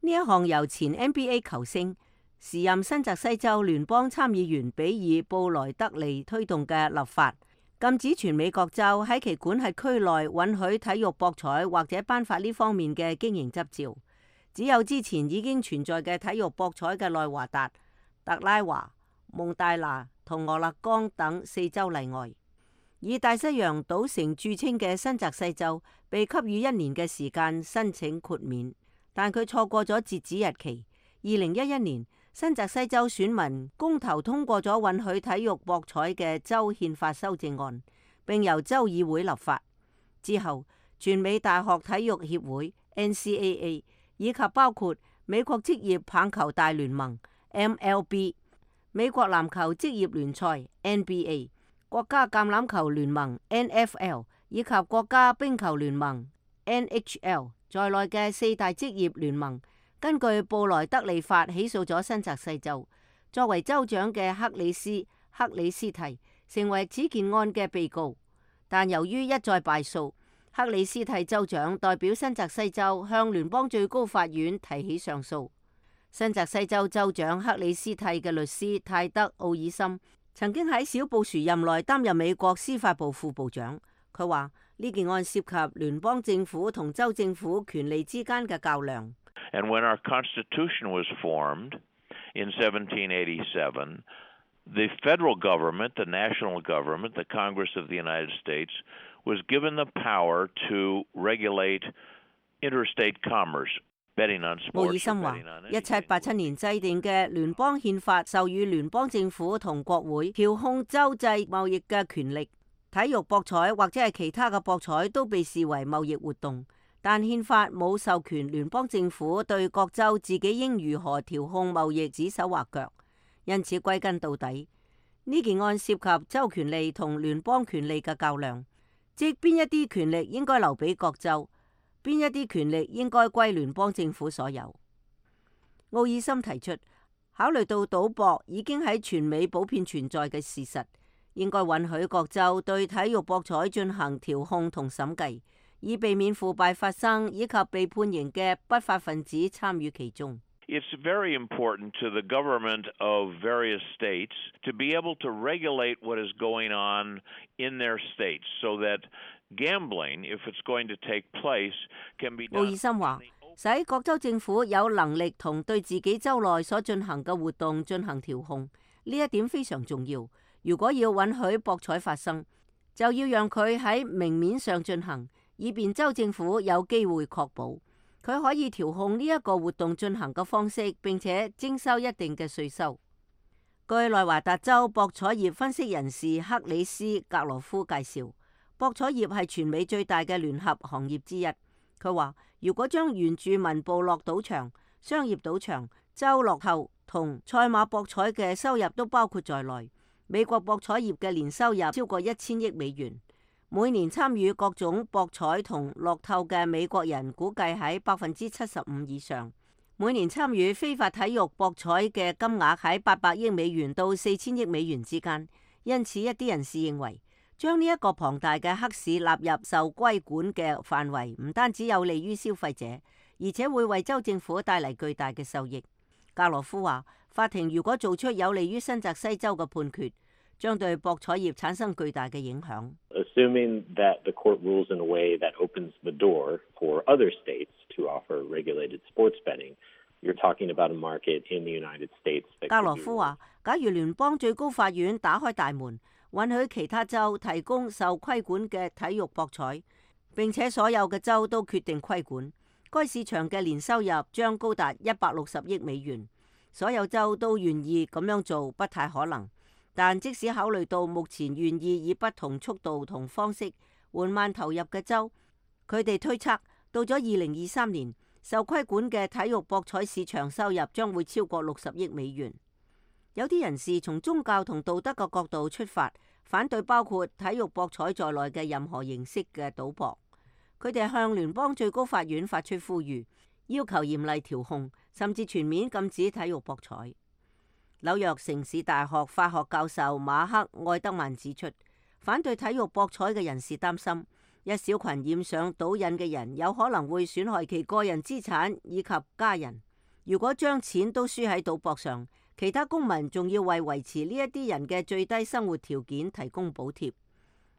呢一項由前 N B A 球星、時任新澤西州聯邦參議員比爾布萊德利推動嘅立法，禁止全美各州喺其管轄區內允許體育博彩或者頒發呢方面嘅經營執照。只有之前已經存在嘅體育博彩嘅內華達、特拉華、蒙大拿同俄勒岡等四州例外。以大西洋賭城著稱嘅新澤西州被給予一年嘅時間申請豁免，但佢錯過咗截止日期。二零一一年，新澤西州選民公投通過咗允許體育博彩嘅州憲法修正案，並由州議會立法。之後，全美大學體育協會 N C A A 以及包括美國職業棒球大聯盟 M L B、美國籃球職業聯賽 N B A、國家橄欖球聯盟 N F L 以及國家冰球聯盟 N H L 在內嘅四大職業聯盟，根據布萊德利法起訴咗新澤西州。作為州長嘅克里斯克里斯蒂成為此件案嘅被告，但由於一再敗訴，克里斯蒂州長代表新澤西州向聯邦最高法院提起上訴。新澤西州州長克里斯蒂嘅律師泰德奧爾森曾經喺小布殊任內擔任美國司法部副部長。佢話呢件案涉及聯邦政府同州政府權力之間嘅較量。And when our Constitution was formed in seventeen eighty-seven, the federal government, the national government, the Congress of the United States, was given the power to regulate interstate commerce, betting on sports. 奧爾森話：一七八七年制定嘅聯邦憲法授予聯邦政府同國會調控州際貿易嘅權力，體育博彩或者係其他嘅博彩都被視為貿易活動。但憲法冇授權聯邦政府對各州自己應如何調控貿易指手畫腳，因此歸根到底，呢件案涉及州權利同聯邦權利嘅較量，即邊一啲權力應該留俾各州，邊一啲權力應該歸聯邦政府所有。奧爾森提出，考慮到賭博已經喺全美普遍存在嘅事實，應該允許各州對體育博彩進行調控同審計，以避免腐敗發生以及被判刑嘅不法分子參與其中。It's very important to the government of various states to be able to regulate what is going on in their states, so that gambling, if it's going to take place, can be done. 奧爾森話，使各州政府有能力同對自己州內所進行嘅活動進行調控，呢一點非常重要。如果要允許博彩發生，就要讓佢喺明面上進行，以便州政府有機會確保佢可以調控呢一個活動進行嘅方式，並且徵收一定嘅稅收。據內華達州博彩業分析人士克里斯格羅夫介紹，博彩業係全美最大嘅聯合行業之一。佢話：如果將原住民部落賭場、商業賭場、州樂透同賽馬博彩嘅收入都包括在內，美國博彩業嘅年收入超過一千億美元。每年參與各種博彩同樂透嘅美國人估計喺百分之七十五以上。每年參與非法體育博彩嘅金額喺八百億美元到四千億美元之間。因此，一啲人士認為將呢一個龐大嘅黑市納入受規管嘅範圍，唔單止有利於消費者，而且會為州政府帶嚟巨大嘅收益。格羅夫話：法庭如果做出有利於新澤西州嘅判決，將對博彩業產生巨大嘅影響。Assuming that the court rules in a way that opens the door for other states to offer regulated sports betting, you're talking about a market in the United States that 格 could 羅 be 夫話，假如聯邦最高法院打開大門，允許其他州提供受規管嘅體育博彩，並且所有嘅州都決定規管，該市場嘅年收入將高達一百六十億美元。所有州都願意咁樣做，不太可能。但即使考慮到目前願意以不同速度同方式緩慢投入嘅州，佢哋推測到咗二零二三年，受規管嘅體育博彩市場收入將會超過六十億美元。有啲人士從宗教同道德嘅角度出發，反對包括體育博彩在內嘅任何形式嘅賭博。佢哋向聯邦最高法院發出呼籲，要求嚴厲調控，甚至全面禁止體育博彩。紐約城市大學法學教授馬克·愛德曼指出，反對體育博彩嘅人士擔心，一小群染上賭癮嘅人有可能會損害其個人資產以及家人。如果將錢都輸喺賭博上，其他公民仲要為維持呢一啲人嘅最低生活條件提供補貼。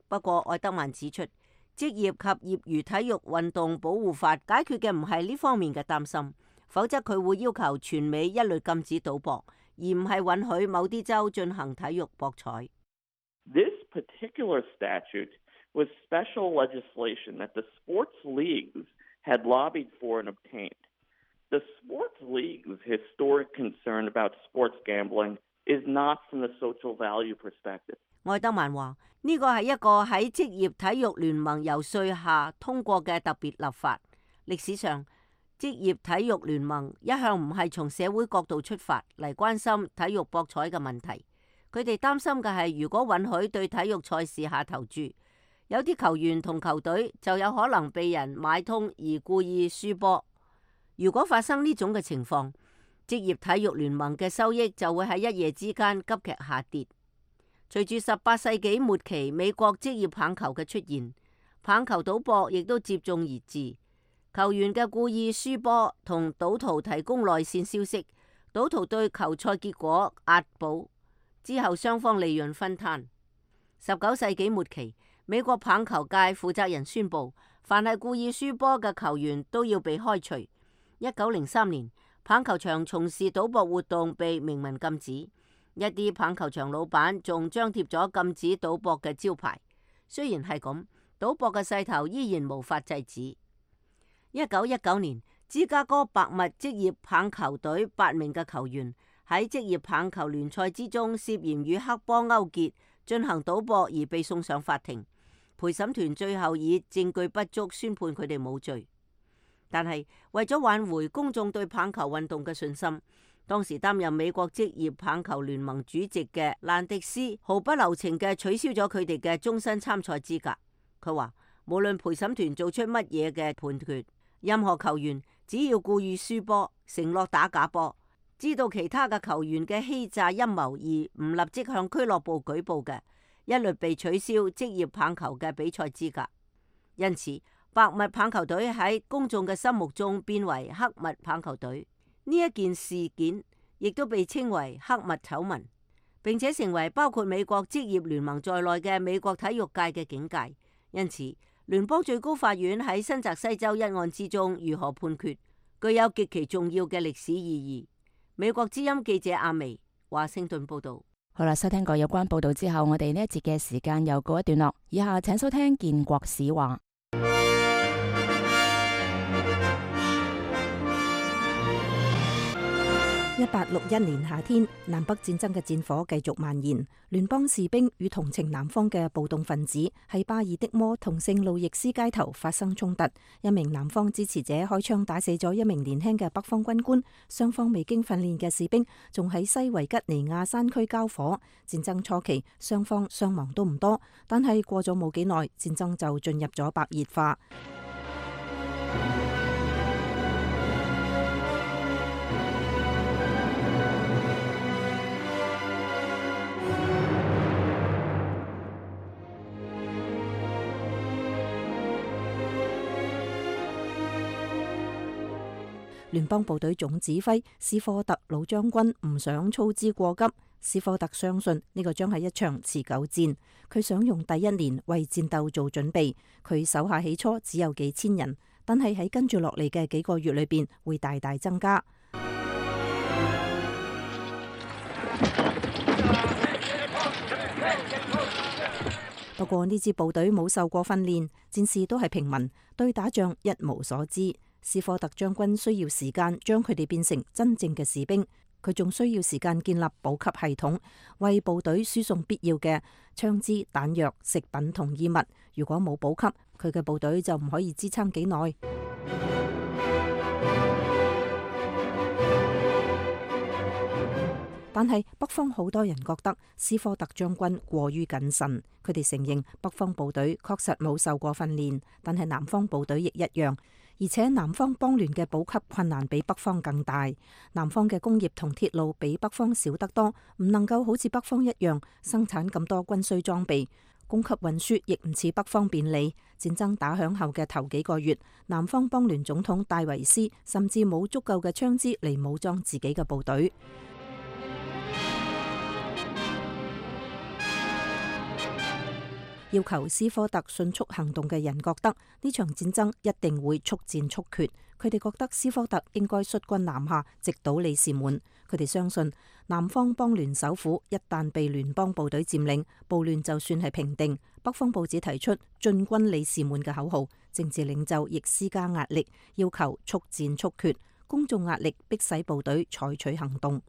不過，愛德曼指出，職業及業餘體育運動保護法解決嘅唔係呢方面嘅擔心，否則佢會要求全美一律禁止賭博，而唔係允許某啲州進行體育博彩。This particular statute was special legislation that the sports leagues had lobbied for and obtained. The sports leagues' historic concern about sports gambling is not from the social value perspective. 愛德曼話：呢個係一個喺職業體育聯盟游說下通過嘅特別立法。歷史上，職業體育聯盟一向唔係從社會角度出發嚟關心體育博彩嘅問題。佢哋擔心嘅係，如果允許對體育賽事下投注，有啲球員同球隊就有可能被人買通而故意輸波。如果發生呢種嘅情況，職業體育聯盟嘅收益就會喺一夜之間急劇下跌。隨住十八世紀末期美國職業棒球嘅出現，棒球賭博亦都接踵而至。球員嘅故意輸波同賭徒提供內線消息，賭徒對球賽結果押寶，之後雙方利潤分攤。十九世紀末期，美國棒球界負責人宣布，凡係故意輸波嘅球員都要被開除。一九零三年，棒球場從事賭博活動被明文禁止，一啲棒球場老闆仲張貼咗禁止賭博嘅招牌。雖然係咁，賭博嘅勢頭依然無法制止。一九一九年，芝加哥白襪職業棒球隊八名嘅球員喺職業棒球聯賽之中涉嫌與黑幫勾結進行賭博而被送上法庭，陪審團最後以證據不足宣判佢哋冇罪。但係為咗挽回公眾對棒球運動嘅信心，當時擔任美國職業棒球聯盟主席嘅蘭迪斯毫不留情嘅取消咗佢哋嘅終身參賽資格。佢話無論陪審團做出乜嘢嘅判決，任何球員只要故意輸波、承諾打假波、知道其他嘅球員嘅欺詐陰謀而唔立即向俱樂部舉報嘅，一律被取消職業棒球嘅比賽資格。因此，白襪棒球隊喺公眾嘅心目中變為黑襪棒球隊。呢一件事件亦都被稱為黑襪醜聞，並且成為包括美國職業聯盟在內嘅美國體育界嘅警戒。因此，聯邦最高法院喺新澤西州一案之中如何判決，具有極其重要嘅歷史意義。美國之音記者阿薇，華盛頓報道。好啦，收聽過有關報道之後，我哋呢一節嘅時間又告一段落。以下請收聽建國史話。一八六一年夏天，南北戰爭嘅戰火繼續蔓延，聯邦士兵與同情南方嘅暴動分子喺巴爾的摩同聖路易斯街頭發生衝突，一名南方支持者開槍打死咗一名年輕嘅北方軍官，雙方未經訓練嘅士兵仲喺西維吉尼亞山區交火。戰爭初期，雙方傷亡都唔多，但係過咗冇幾耐，戰爭就進入咗白熱化。聯邦部隊總指揮斯科特老將軍唔想操之過急，斯科特相信呢個將係一場持久戰，佢想用第一年為戰鬥做準備。佢手下起初只有幾千人，但係喺跟住落嚟嘅幾個月裏邊會大大增加。不過呢支部隊冇受過訓練，戰士都係平民，對打仗一無所知。斯科特將軍需要時間將佢哋變成真正嘅士兵，佢仲需要時間建立補給系統，為部隊輸送必要嘅槍支、彈藥、食品同衣物。如果冇補給，佢嘅部隊就唔可以支撐幾耐。但係北方好多人覺得斯科特將軍過於謹慎，佢哋承認北方部隊確實冇受過訓練，但係南方部隊亦一樣，而且南方邦聯嘅補給困難比北方更大，南方嘅工業同鐵路比北方少得多，唔能夠好似北方一樣生產咁多軍需裝備，供給運輸亦唔似北方便利。戰爭打響後嘅頭幾個月，南方邦聯總統戴維斯甚至冇足夠嘅槍支嚟武裝自己嘅部隊。要求斯科特迅速行動嘅人覺得呢場戰爭一定會速戰速決，佢哋覺得斯科特應該率軍南下，直搗里士滿。佢哋相信南方邦聯首府一旦被聯邦部隊佔領，暴亂就算係平定。北方報紙提出進軍里士滿嘅口號，政治領袖亦施加壓力，要求速戰速決。公眾壓力迫使部隊採取行動。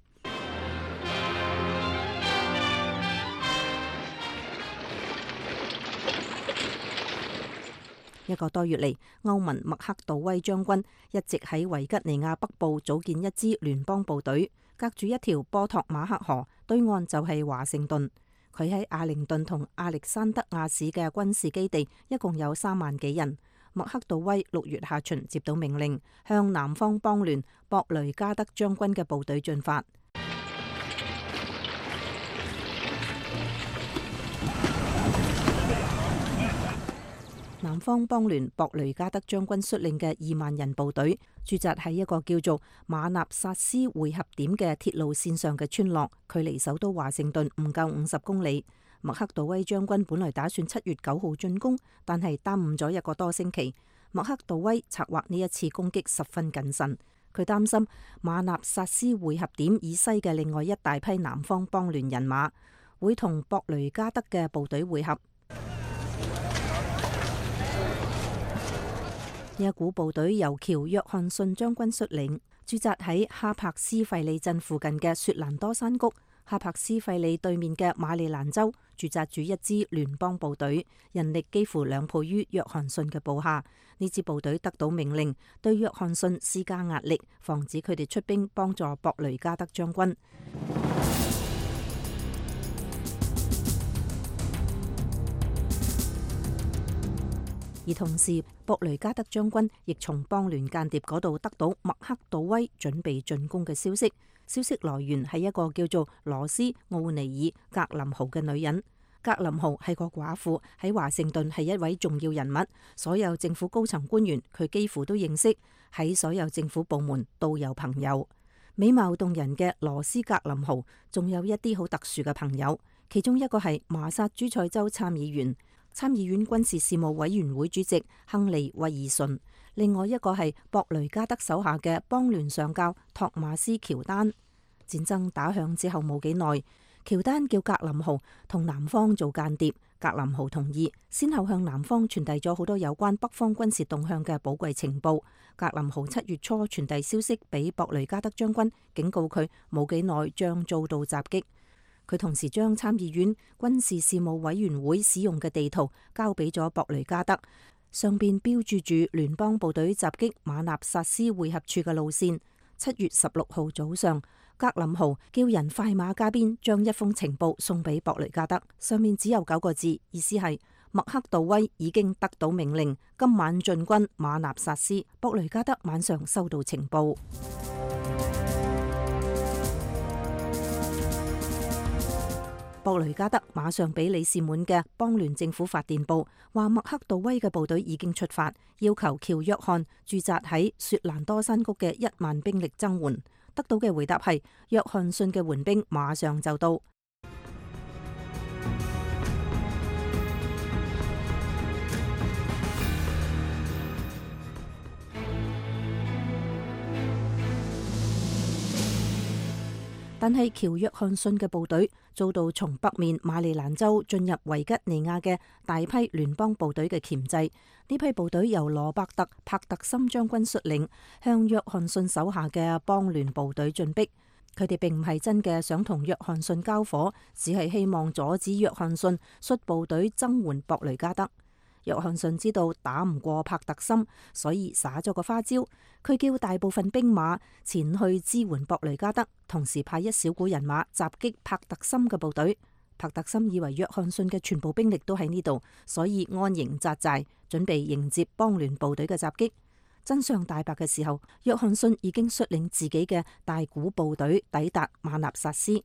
一個多月嚟，歐文麥克杜威將軍一直喺維吉尼亞北部組建一支聯邦部隊，隔住一條波托馬克河，對岸就係華盛頓。佢喺阿靈頓同亞歷山德亞市嘅軍事基地一共有三萬幾人。麥克杜威六月下旬接到命令，向南方邦聯博雷加德將軍嘅部隊進發。南方邦聯博雷加德將軍率領嘅二萬人部隊駐紮喺一個叫做馬納薩斯匯合點嘅鐵路線上嘅村落，距離首都華盛頓唔夠五十公里。麥克杜威將軍本來打算七月九號進攻，但係耽誤咗一個多星期。麥克杜威策劃呢一次攻擊十分謹慎，佢擔心馬納薩斯匯合點以西嘅另外一大批南方邦聯人馬會同博雷加德嘅部隊會合。呢一股部隊由喬約翰遜將軍率領，駐紮喺哈柏斯費里鎮附近嘅雪蘭多山谷。哈柏斯費里對面嘅馬里蘭州駐紮住一支聯邦部隊，人力幾乎兩倍於約翰遜嘅部下。呢支部隊得到命令，對約翰遜施加壓力，防止佢哋出兵幫助博雷加德將軍。而同時，博雷加德將軍亦從邦聯間諜嗰度得到麥克杜威準備進攻嘅消息。消息來源係一個叫做羅斯奧尼爾格林豪嘅女人。格林豪係個寡婦，喺華盛頓係一位重要人物，所有政府高層官員佢幾乎都認識，喺所有政府部門都有朋友。美貌動人嘅羅斯格林豪仲有一啲好特殊嘅朋友，其中一個係麻薩諸塞州參議員。參議院軍事事務委員會主席亨利威爾遜，另外一個係博雷加德手下嘅邦聯上校托馬斯喬丹。戰爭打響之後冇幾耐，喬丹叫格林豪同南方做間諜，格林豪同意，先後向南方傳遞咗好多有關北方軍事動向嘅寶貴情報。格林豪七月初傳遞消息俾博雷加德將軍，警告佢冇幾耐將遭到襲擊。佢同時將參議院軍事事務委員會使用嘅地圖交俾咗博雷加德，上邊標注住聯邦部隊襲擊馬納薩斯匯合處嘅路線。七月十六號早上，格林豪叫人快馬加鞭將一封情報送俾博雷加德，上面只有九個字，意思係麥克杜威已經得到命令，今晚進軍馬納薩斯。博雷加德晚上收到情報。博雷加德馬上俾里士滿嘅邦聯政府發電報，話麥克杜威嘅部隊已經出發，要求喬約翰駐紮喺雪蘭多山谷嘅一萬兵力增援。得到嘅回答係約翰遜嘅援兵馬上就到。但係喬約翰遜嘅部隊遭到從北面馬里蘭州進入維吉尼亞嘅大批聯邦部隊嘅鉗制。呢批部隊由羅伯特·帕特森將軍率領，向約翰遜手下嘅邦聯部隊進逼。佢哋並唔係真嘅想同約翰遜交火，只係希望阻止約翰遜率部隊增援博雷加德。約翰遜知道打唔過帕特森，所以耍咗個花招。佢叫大部分兵馬前去支援博雷加德，同時派一小股人馬襲擊帕特森嘅部隊。帕特森以為約翰遜嘅全部兵力都喺呢度，所以安營紮寨，準備迎接邦聯部隊嘅襲擊。真相大白嘅時候，約翰遜已經率領自己嘅大股部隊抵達馬納薩斯。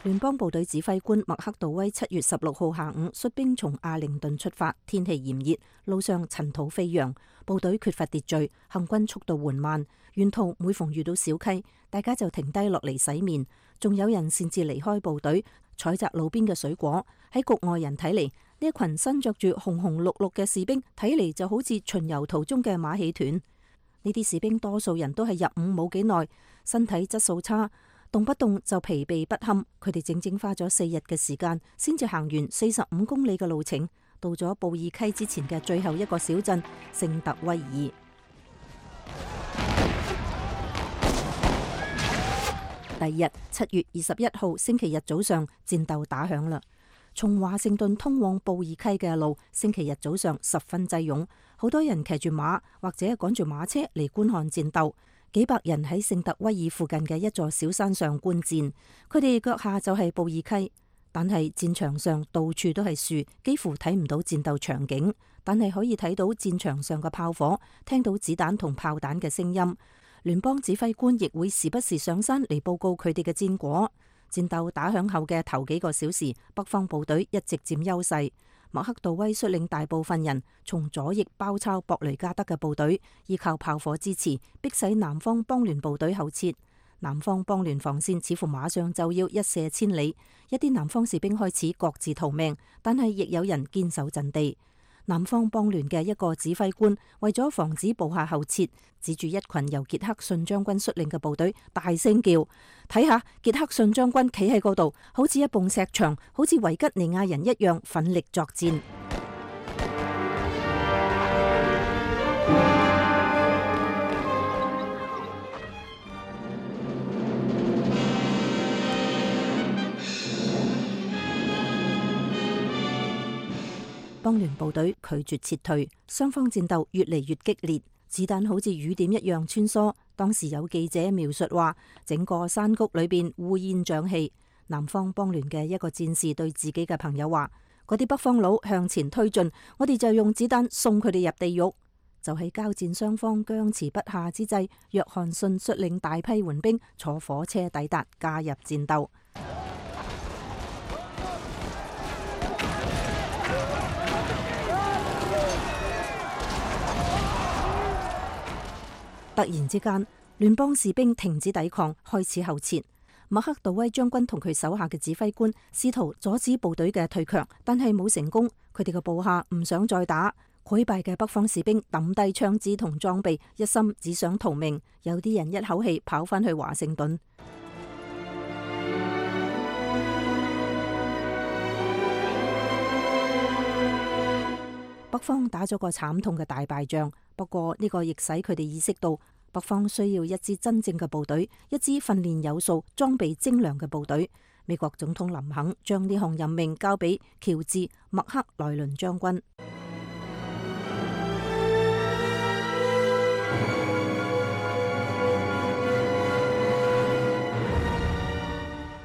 聯邦部隊指揮官麥克道威七月十六號下午率兵從阿靈頓出發，天氣炎熱，路上塵土飛揚，部隊缺乏秩序，行軍速度緩慢。沿途每逢遇到小溪，大家就停低落嚟洗面，仲有人擅自離開部隊，採摘路邊嘅水果。喺局外人睇嚟，呢一群身着住紅紅綠綠嘅士兵，睇嚟就好似巡遊途中嘅馬戲團。呢啲士兵多數人都係入伍冇幾耐，身體質素差，動不動就疲憊不堪。佢哋整整花咗四日嘅時間，先至行完四十五公里嘅路程，到咗布爾溪之前嘅最後一個小鎮聖特威爾。第二日七月二十一號星期日早上，戰鬥打響啦。從華盛頓通往布爾溪嘅路，星期日早上十分擠擁，好多人騎住馬或者趕住馬車嚟觀看戰鬥。幾百人喺聖特威爾附近嘅一座小山上觀戰，佢哋腳下就係布爾溪，但係戰場上到處都係樹，幾乎睇唔到戰鬥場景，但係可以睇到戰場上嘅炮火，聽到子彈同炮彈嘅聲音。聯邦指揮官亦會時不時上山嚟報告佢哋嘅戰果。戰鬥打響後嘅頭幾個小時，北方部隊一直佔優勢。麥克道威率領大部分人從左翼包抄博雷加德嘅部隊，依靠炮火支持，迫使南方邦聯部隊後撤。南方邦聯防線似乎馬上就要一瀉千里，一啲南方士兵開始各自逃命，但係亦有人堅守陣地。南方邦聯嘅一個指揮官為咗防止部下後撤，指住一群由傑克遜將軍率領嘅部隊，大聲叫：睇下傑克遜將軍企喺嗰度，好似一埲石牆，好似維吉尼亞人一樣奮力作戰。邦聯部隊拒絕撤退，雙方戰鬥越嚟越激烈，子彈好似雨點一樣穿梭。當時有記者描述話，整個山谷裏邊烏煙瘴氣。南方邦聯嘅一個戰士對自己嘅朋友話：嗰啲北方佬向前推進，我哋就用子彈送佢哋入地獄。就喺交戰雙方僵持不下之際，約翰遜率領大批援兵坐火車抵達，加入戰鬥。突然之間，聯邦士兵停止抵抗，開始後撤。麥克道威將軍同佢手下嘅指揮官試圖阻止部隊嘅退卻，但係冇成功。佢哋嘅部下唔想再打，潰敗嘅北方士兵抌低槍支同裝備，一心只想逃命。有啲人一口氣跑返去華盛頓。北方打咗個慘痛嘅大敗仗，不過呢個亦使佢哋意識到北方需要一支真正嘅部隊，一支訓練有素、裝備精良嘅部隊。美國總統林肯將呢項任命交俾喬治·麥克萊倫將軍。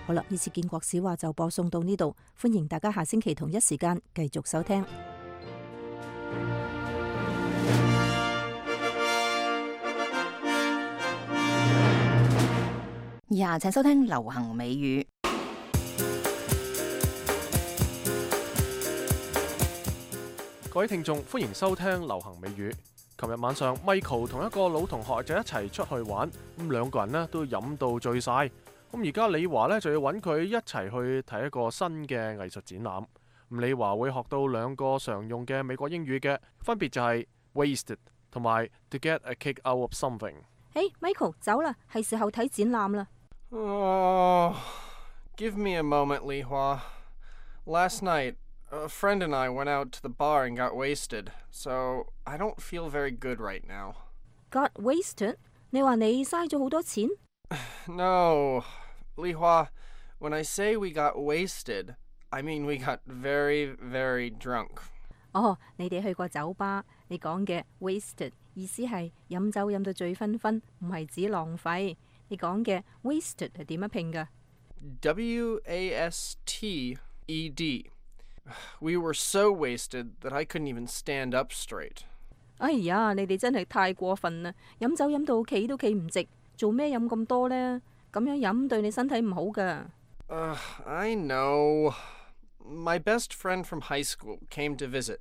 好啦，呢次建國史話就播送到呢度，歡迎大家下星期同一時間繼續收聽。以下請收聽流行美語。各位聽眾，歡迎收聽流行美語。琴日晚上，Michael 同一個老同學就一齊出去玩，咁兩個人呢都飲到醉晒。咁而家李華呢就要揾佢一齊去睇一個新嘅藝術展覽。咁李華會學到兩個常用嘅美國英語嘅，分別就係 wasted 同埋 to get a kick out of something。誒，Michael 走啦，係時候睇展覽啦。Oh, give me a moment, Li Hua. Last night, a friend and I went out to the bar and got wasted, so I don't feel very good right now. Got wasted？ 你話你嘥咗好多錢？ No, Li Hua, when I say we got wasted, I mean we got very, very drunk. 哦，你哋去過酒吧，你講嘅 wasted 意思係飲酒飲到醉醺醺，唔係指浪費。你講嘅 wasted 係點樣拼㗎？ W A S T E D. We were so wasted that I couldn't even stand up straight. 哎呀，你哋真係太過分啦！飲酒飲到企都企唔直，做咩飲咁多呢？咁樣飲對你身體唔好㗎。Uh, I know. My best friend from high school came to visit,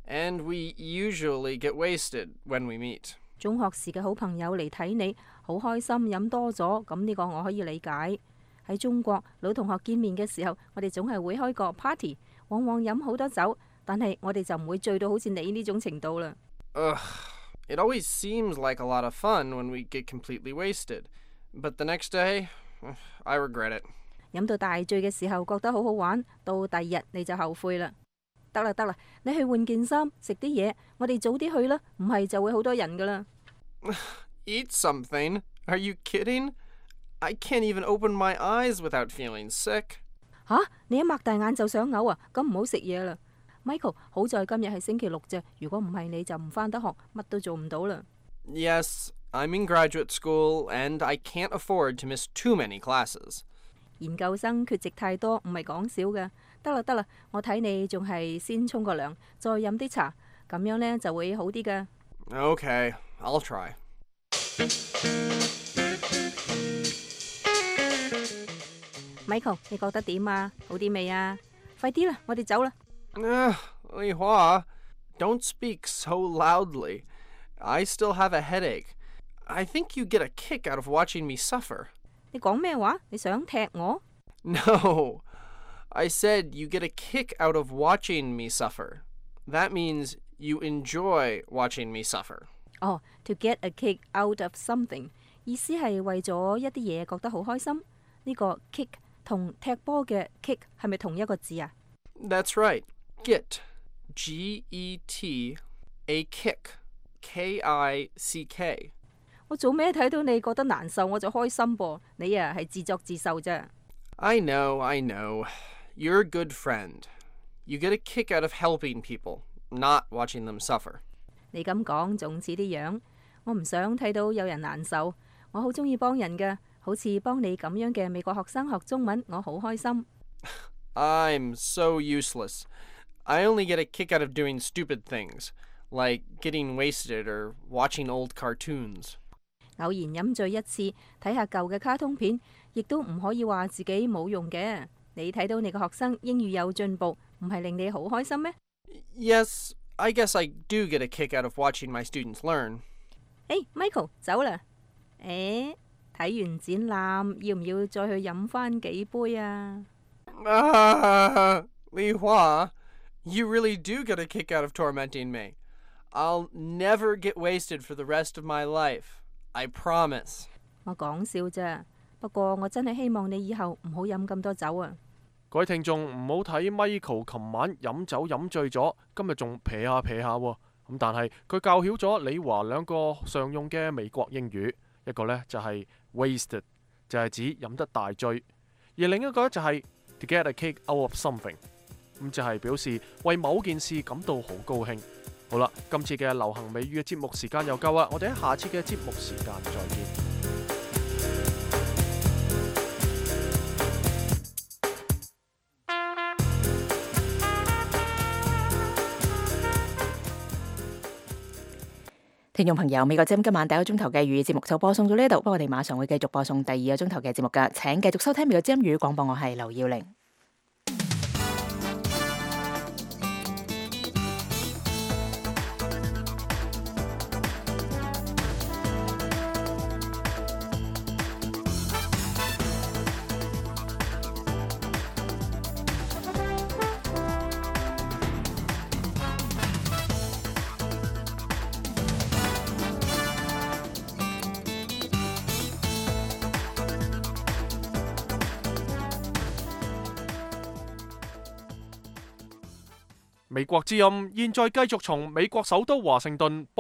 and we usually get wasted when we meet. 中學時嘅好朋友嚟睇你，好開心飲多咗，咁呢個我可以理解。喺中國，老同學見面嘅時候，我哋總係會開個 party， 往往飲好多酒，但係我哋就唔會醉到好似你呢種程度啦。Ugh, it always seems like a lot of fun when we get completely wasted, but the next day, I regret it. 飲到大醉嘅時候覺得好好玩，到第二日你就後悔啦。得啦得啦，你去換件衫，食啲嘢，我哋早啲去啦，唔係就會好多人噶啦。Eat something? Are you kidding? I can't even open my eyes without feeling sick. 吓，你一擘大眼就想嘔啊？咁唔好食嘢啦。Michael， 好在今日係星期六啫，如果唔係你就唔返得學，乜都做唔到啦。Yes, I'm in graduate school, and I can't afford to miss too many classes. 研究生缺席太多，唔係講笑㗎。得啦得啦，我睇你仲係先沖個涼，再飲啲茶，咁樣呢就會好啲㗎。Okay, I'll try. Michael， 你覺得點啊？好啲未啊？快啲啦，我哋走啦。Uh, Li Hua, don't speak so loudly. I still have a headache. I think you get a kick out of watching me suffer. 你講咩話？你想踢我？ No, I said you get a kick out of watching me suffer. That means you enjoy watching me suffer. 哦、oh, to get a kick out of something 意思係為咗一啲嘢覺得好開心。呢、這個 kick 同踢波嘅 kick 係咪同一個字啊？ That's right. Get, G E T, a kick, K I C K. 我做咩睇到你覺得難受我就開心噃？你啊係自作自受啫。I know, I know. You're a good friend. You get a kick out of helping people, not watching them suffer. 你咁講仲似啲樣，我唔想睇到有人難受。我好中意幫人㗎，好似幫你咁樣嘅美國學生學中文，我好開心。I'm so useless. I only get a kick out of doing stupid things, like getting wasted or watching old cartoons. 偶然飲醉一次，睇下舊嘅卡通片，亦都唔可以話自己冇用嘅。你睇到你個學生英語有進步，唔係令你好開心咩？ Yes, I guess I do get a kick out of watching my students learn. Hey, Michael, 走啦！誒，睇完展覽，要唔要再去飲返幾杯啊？ Ah, Li Hua, you really do get a kick out of tormenting me. I'll never get wasted for the rest of my life. I promise. 我講笑啫，不過我真係希望你以後唔好飲咁多酒啊！各位聽眾唔好睇 Michael 琴晚飲酒飲醉咗，今日仲撇下撇下喎。咁但係佢教曉咗李華兩個常用嘅美國英語，一個呢就係 wasted， 就係指飲得大醉，而另一個就係 to get a kick out of something， 咁就係表示為某件事感到好高興。好啦，今次嘅流行美語嘅節目時間又夠啦，我哋喺下次嘅節目時間再見。聽眾朋友，美國之音今晚第一個鐘頭嘅粵語節目就播送到呢度，不過我哋馬上會繼續播送第二個鐘頭嘅節目㗎，請繼續收聽美國之音粵語廣播，我係劉耀玲。美國之音現在繼續從美國首都華盛頓播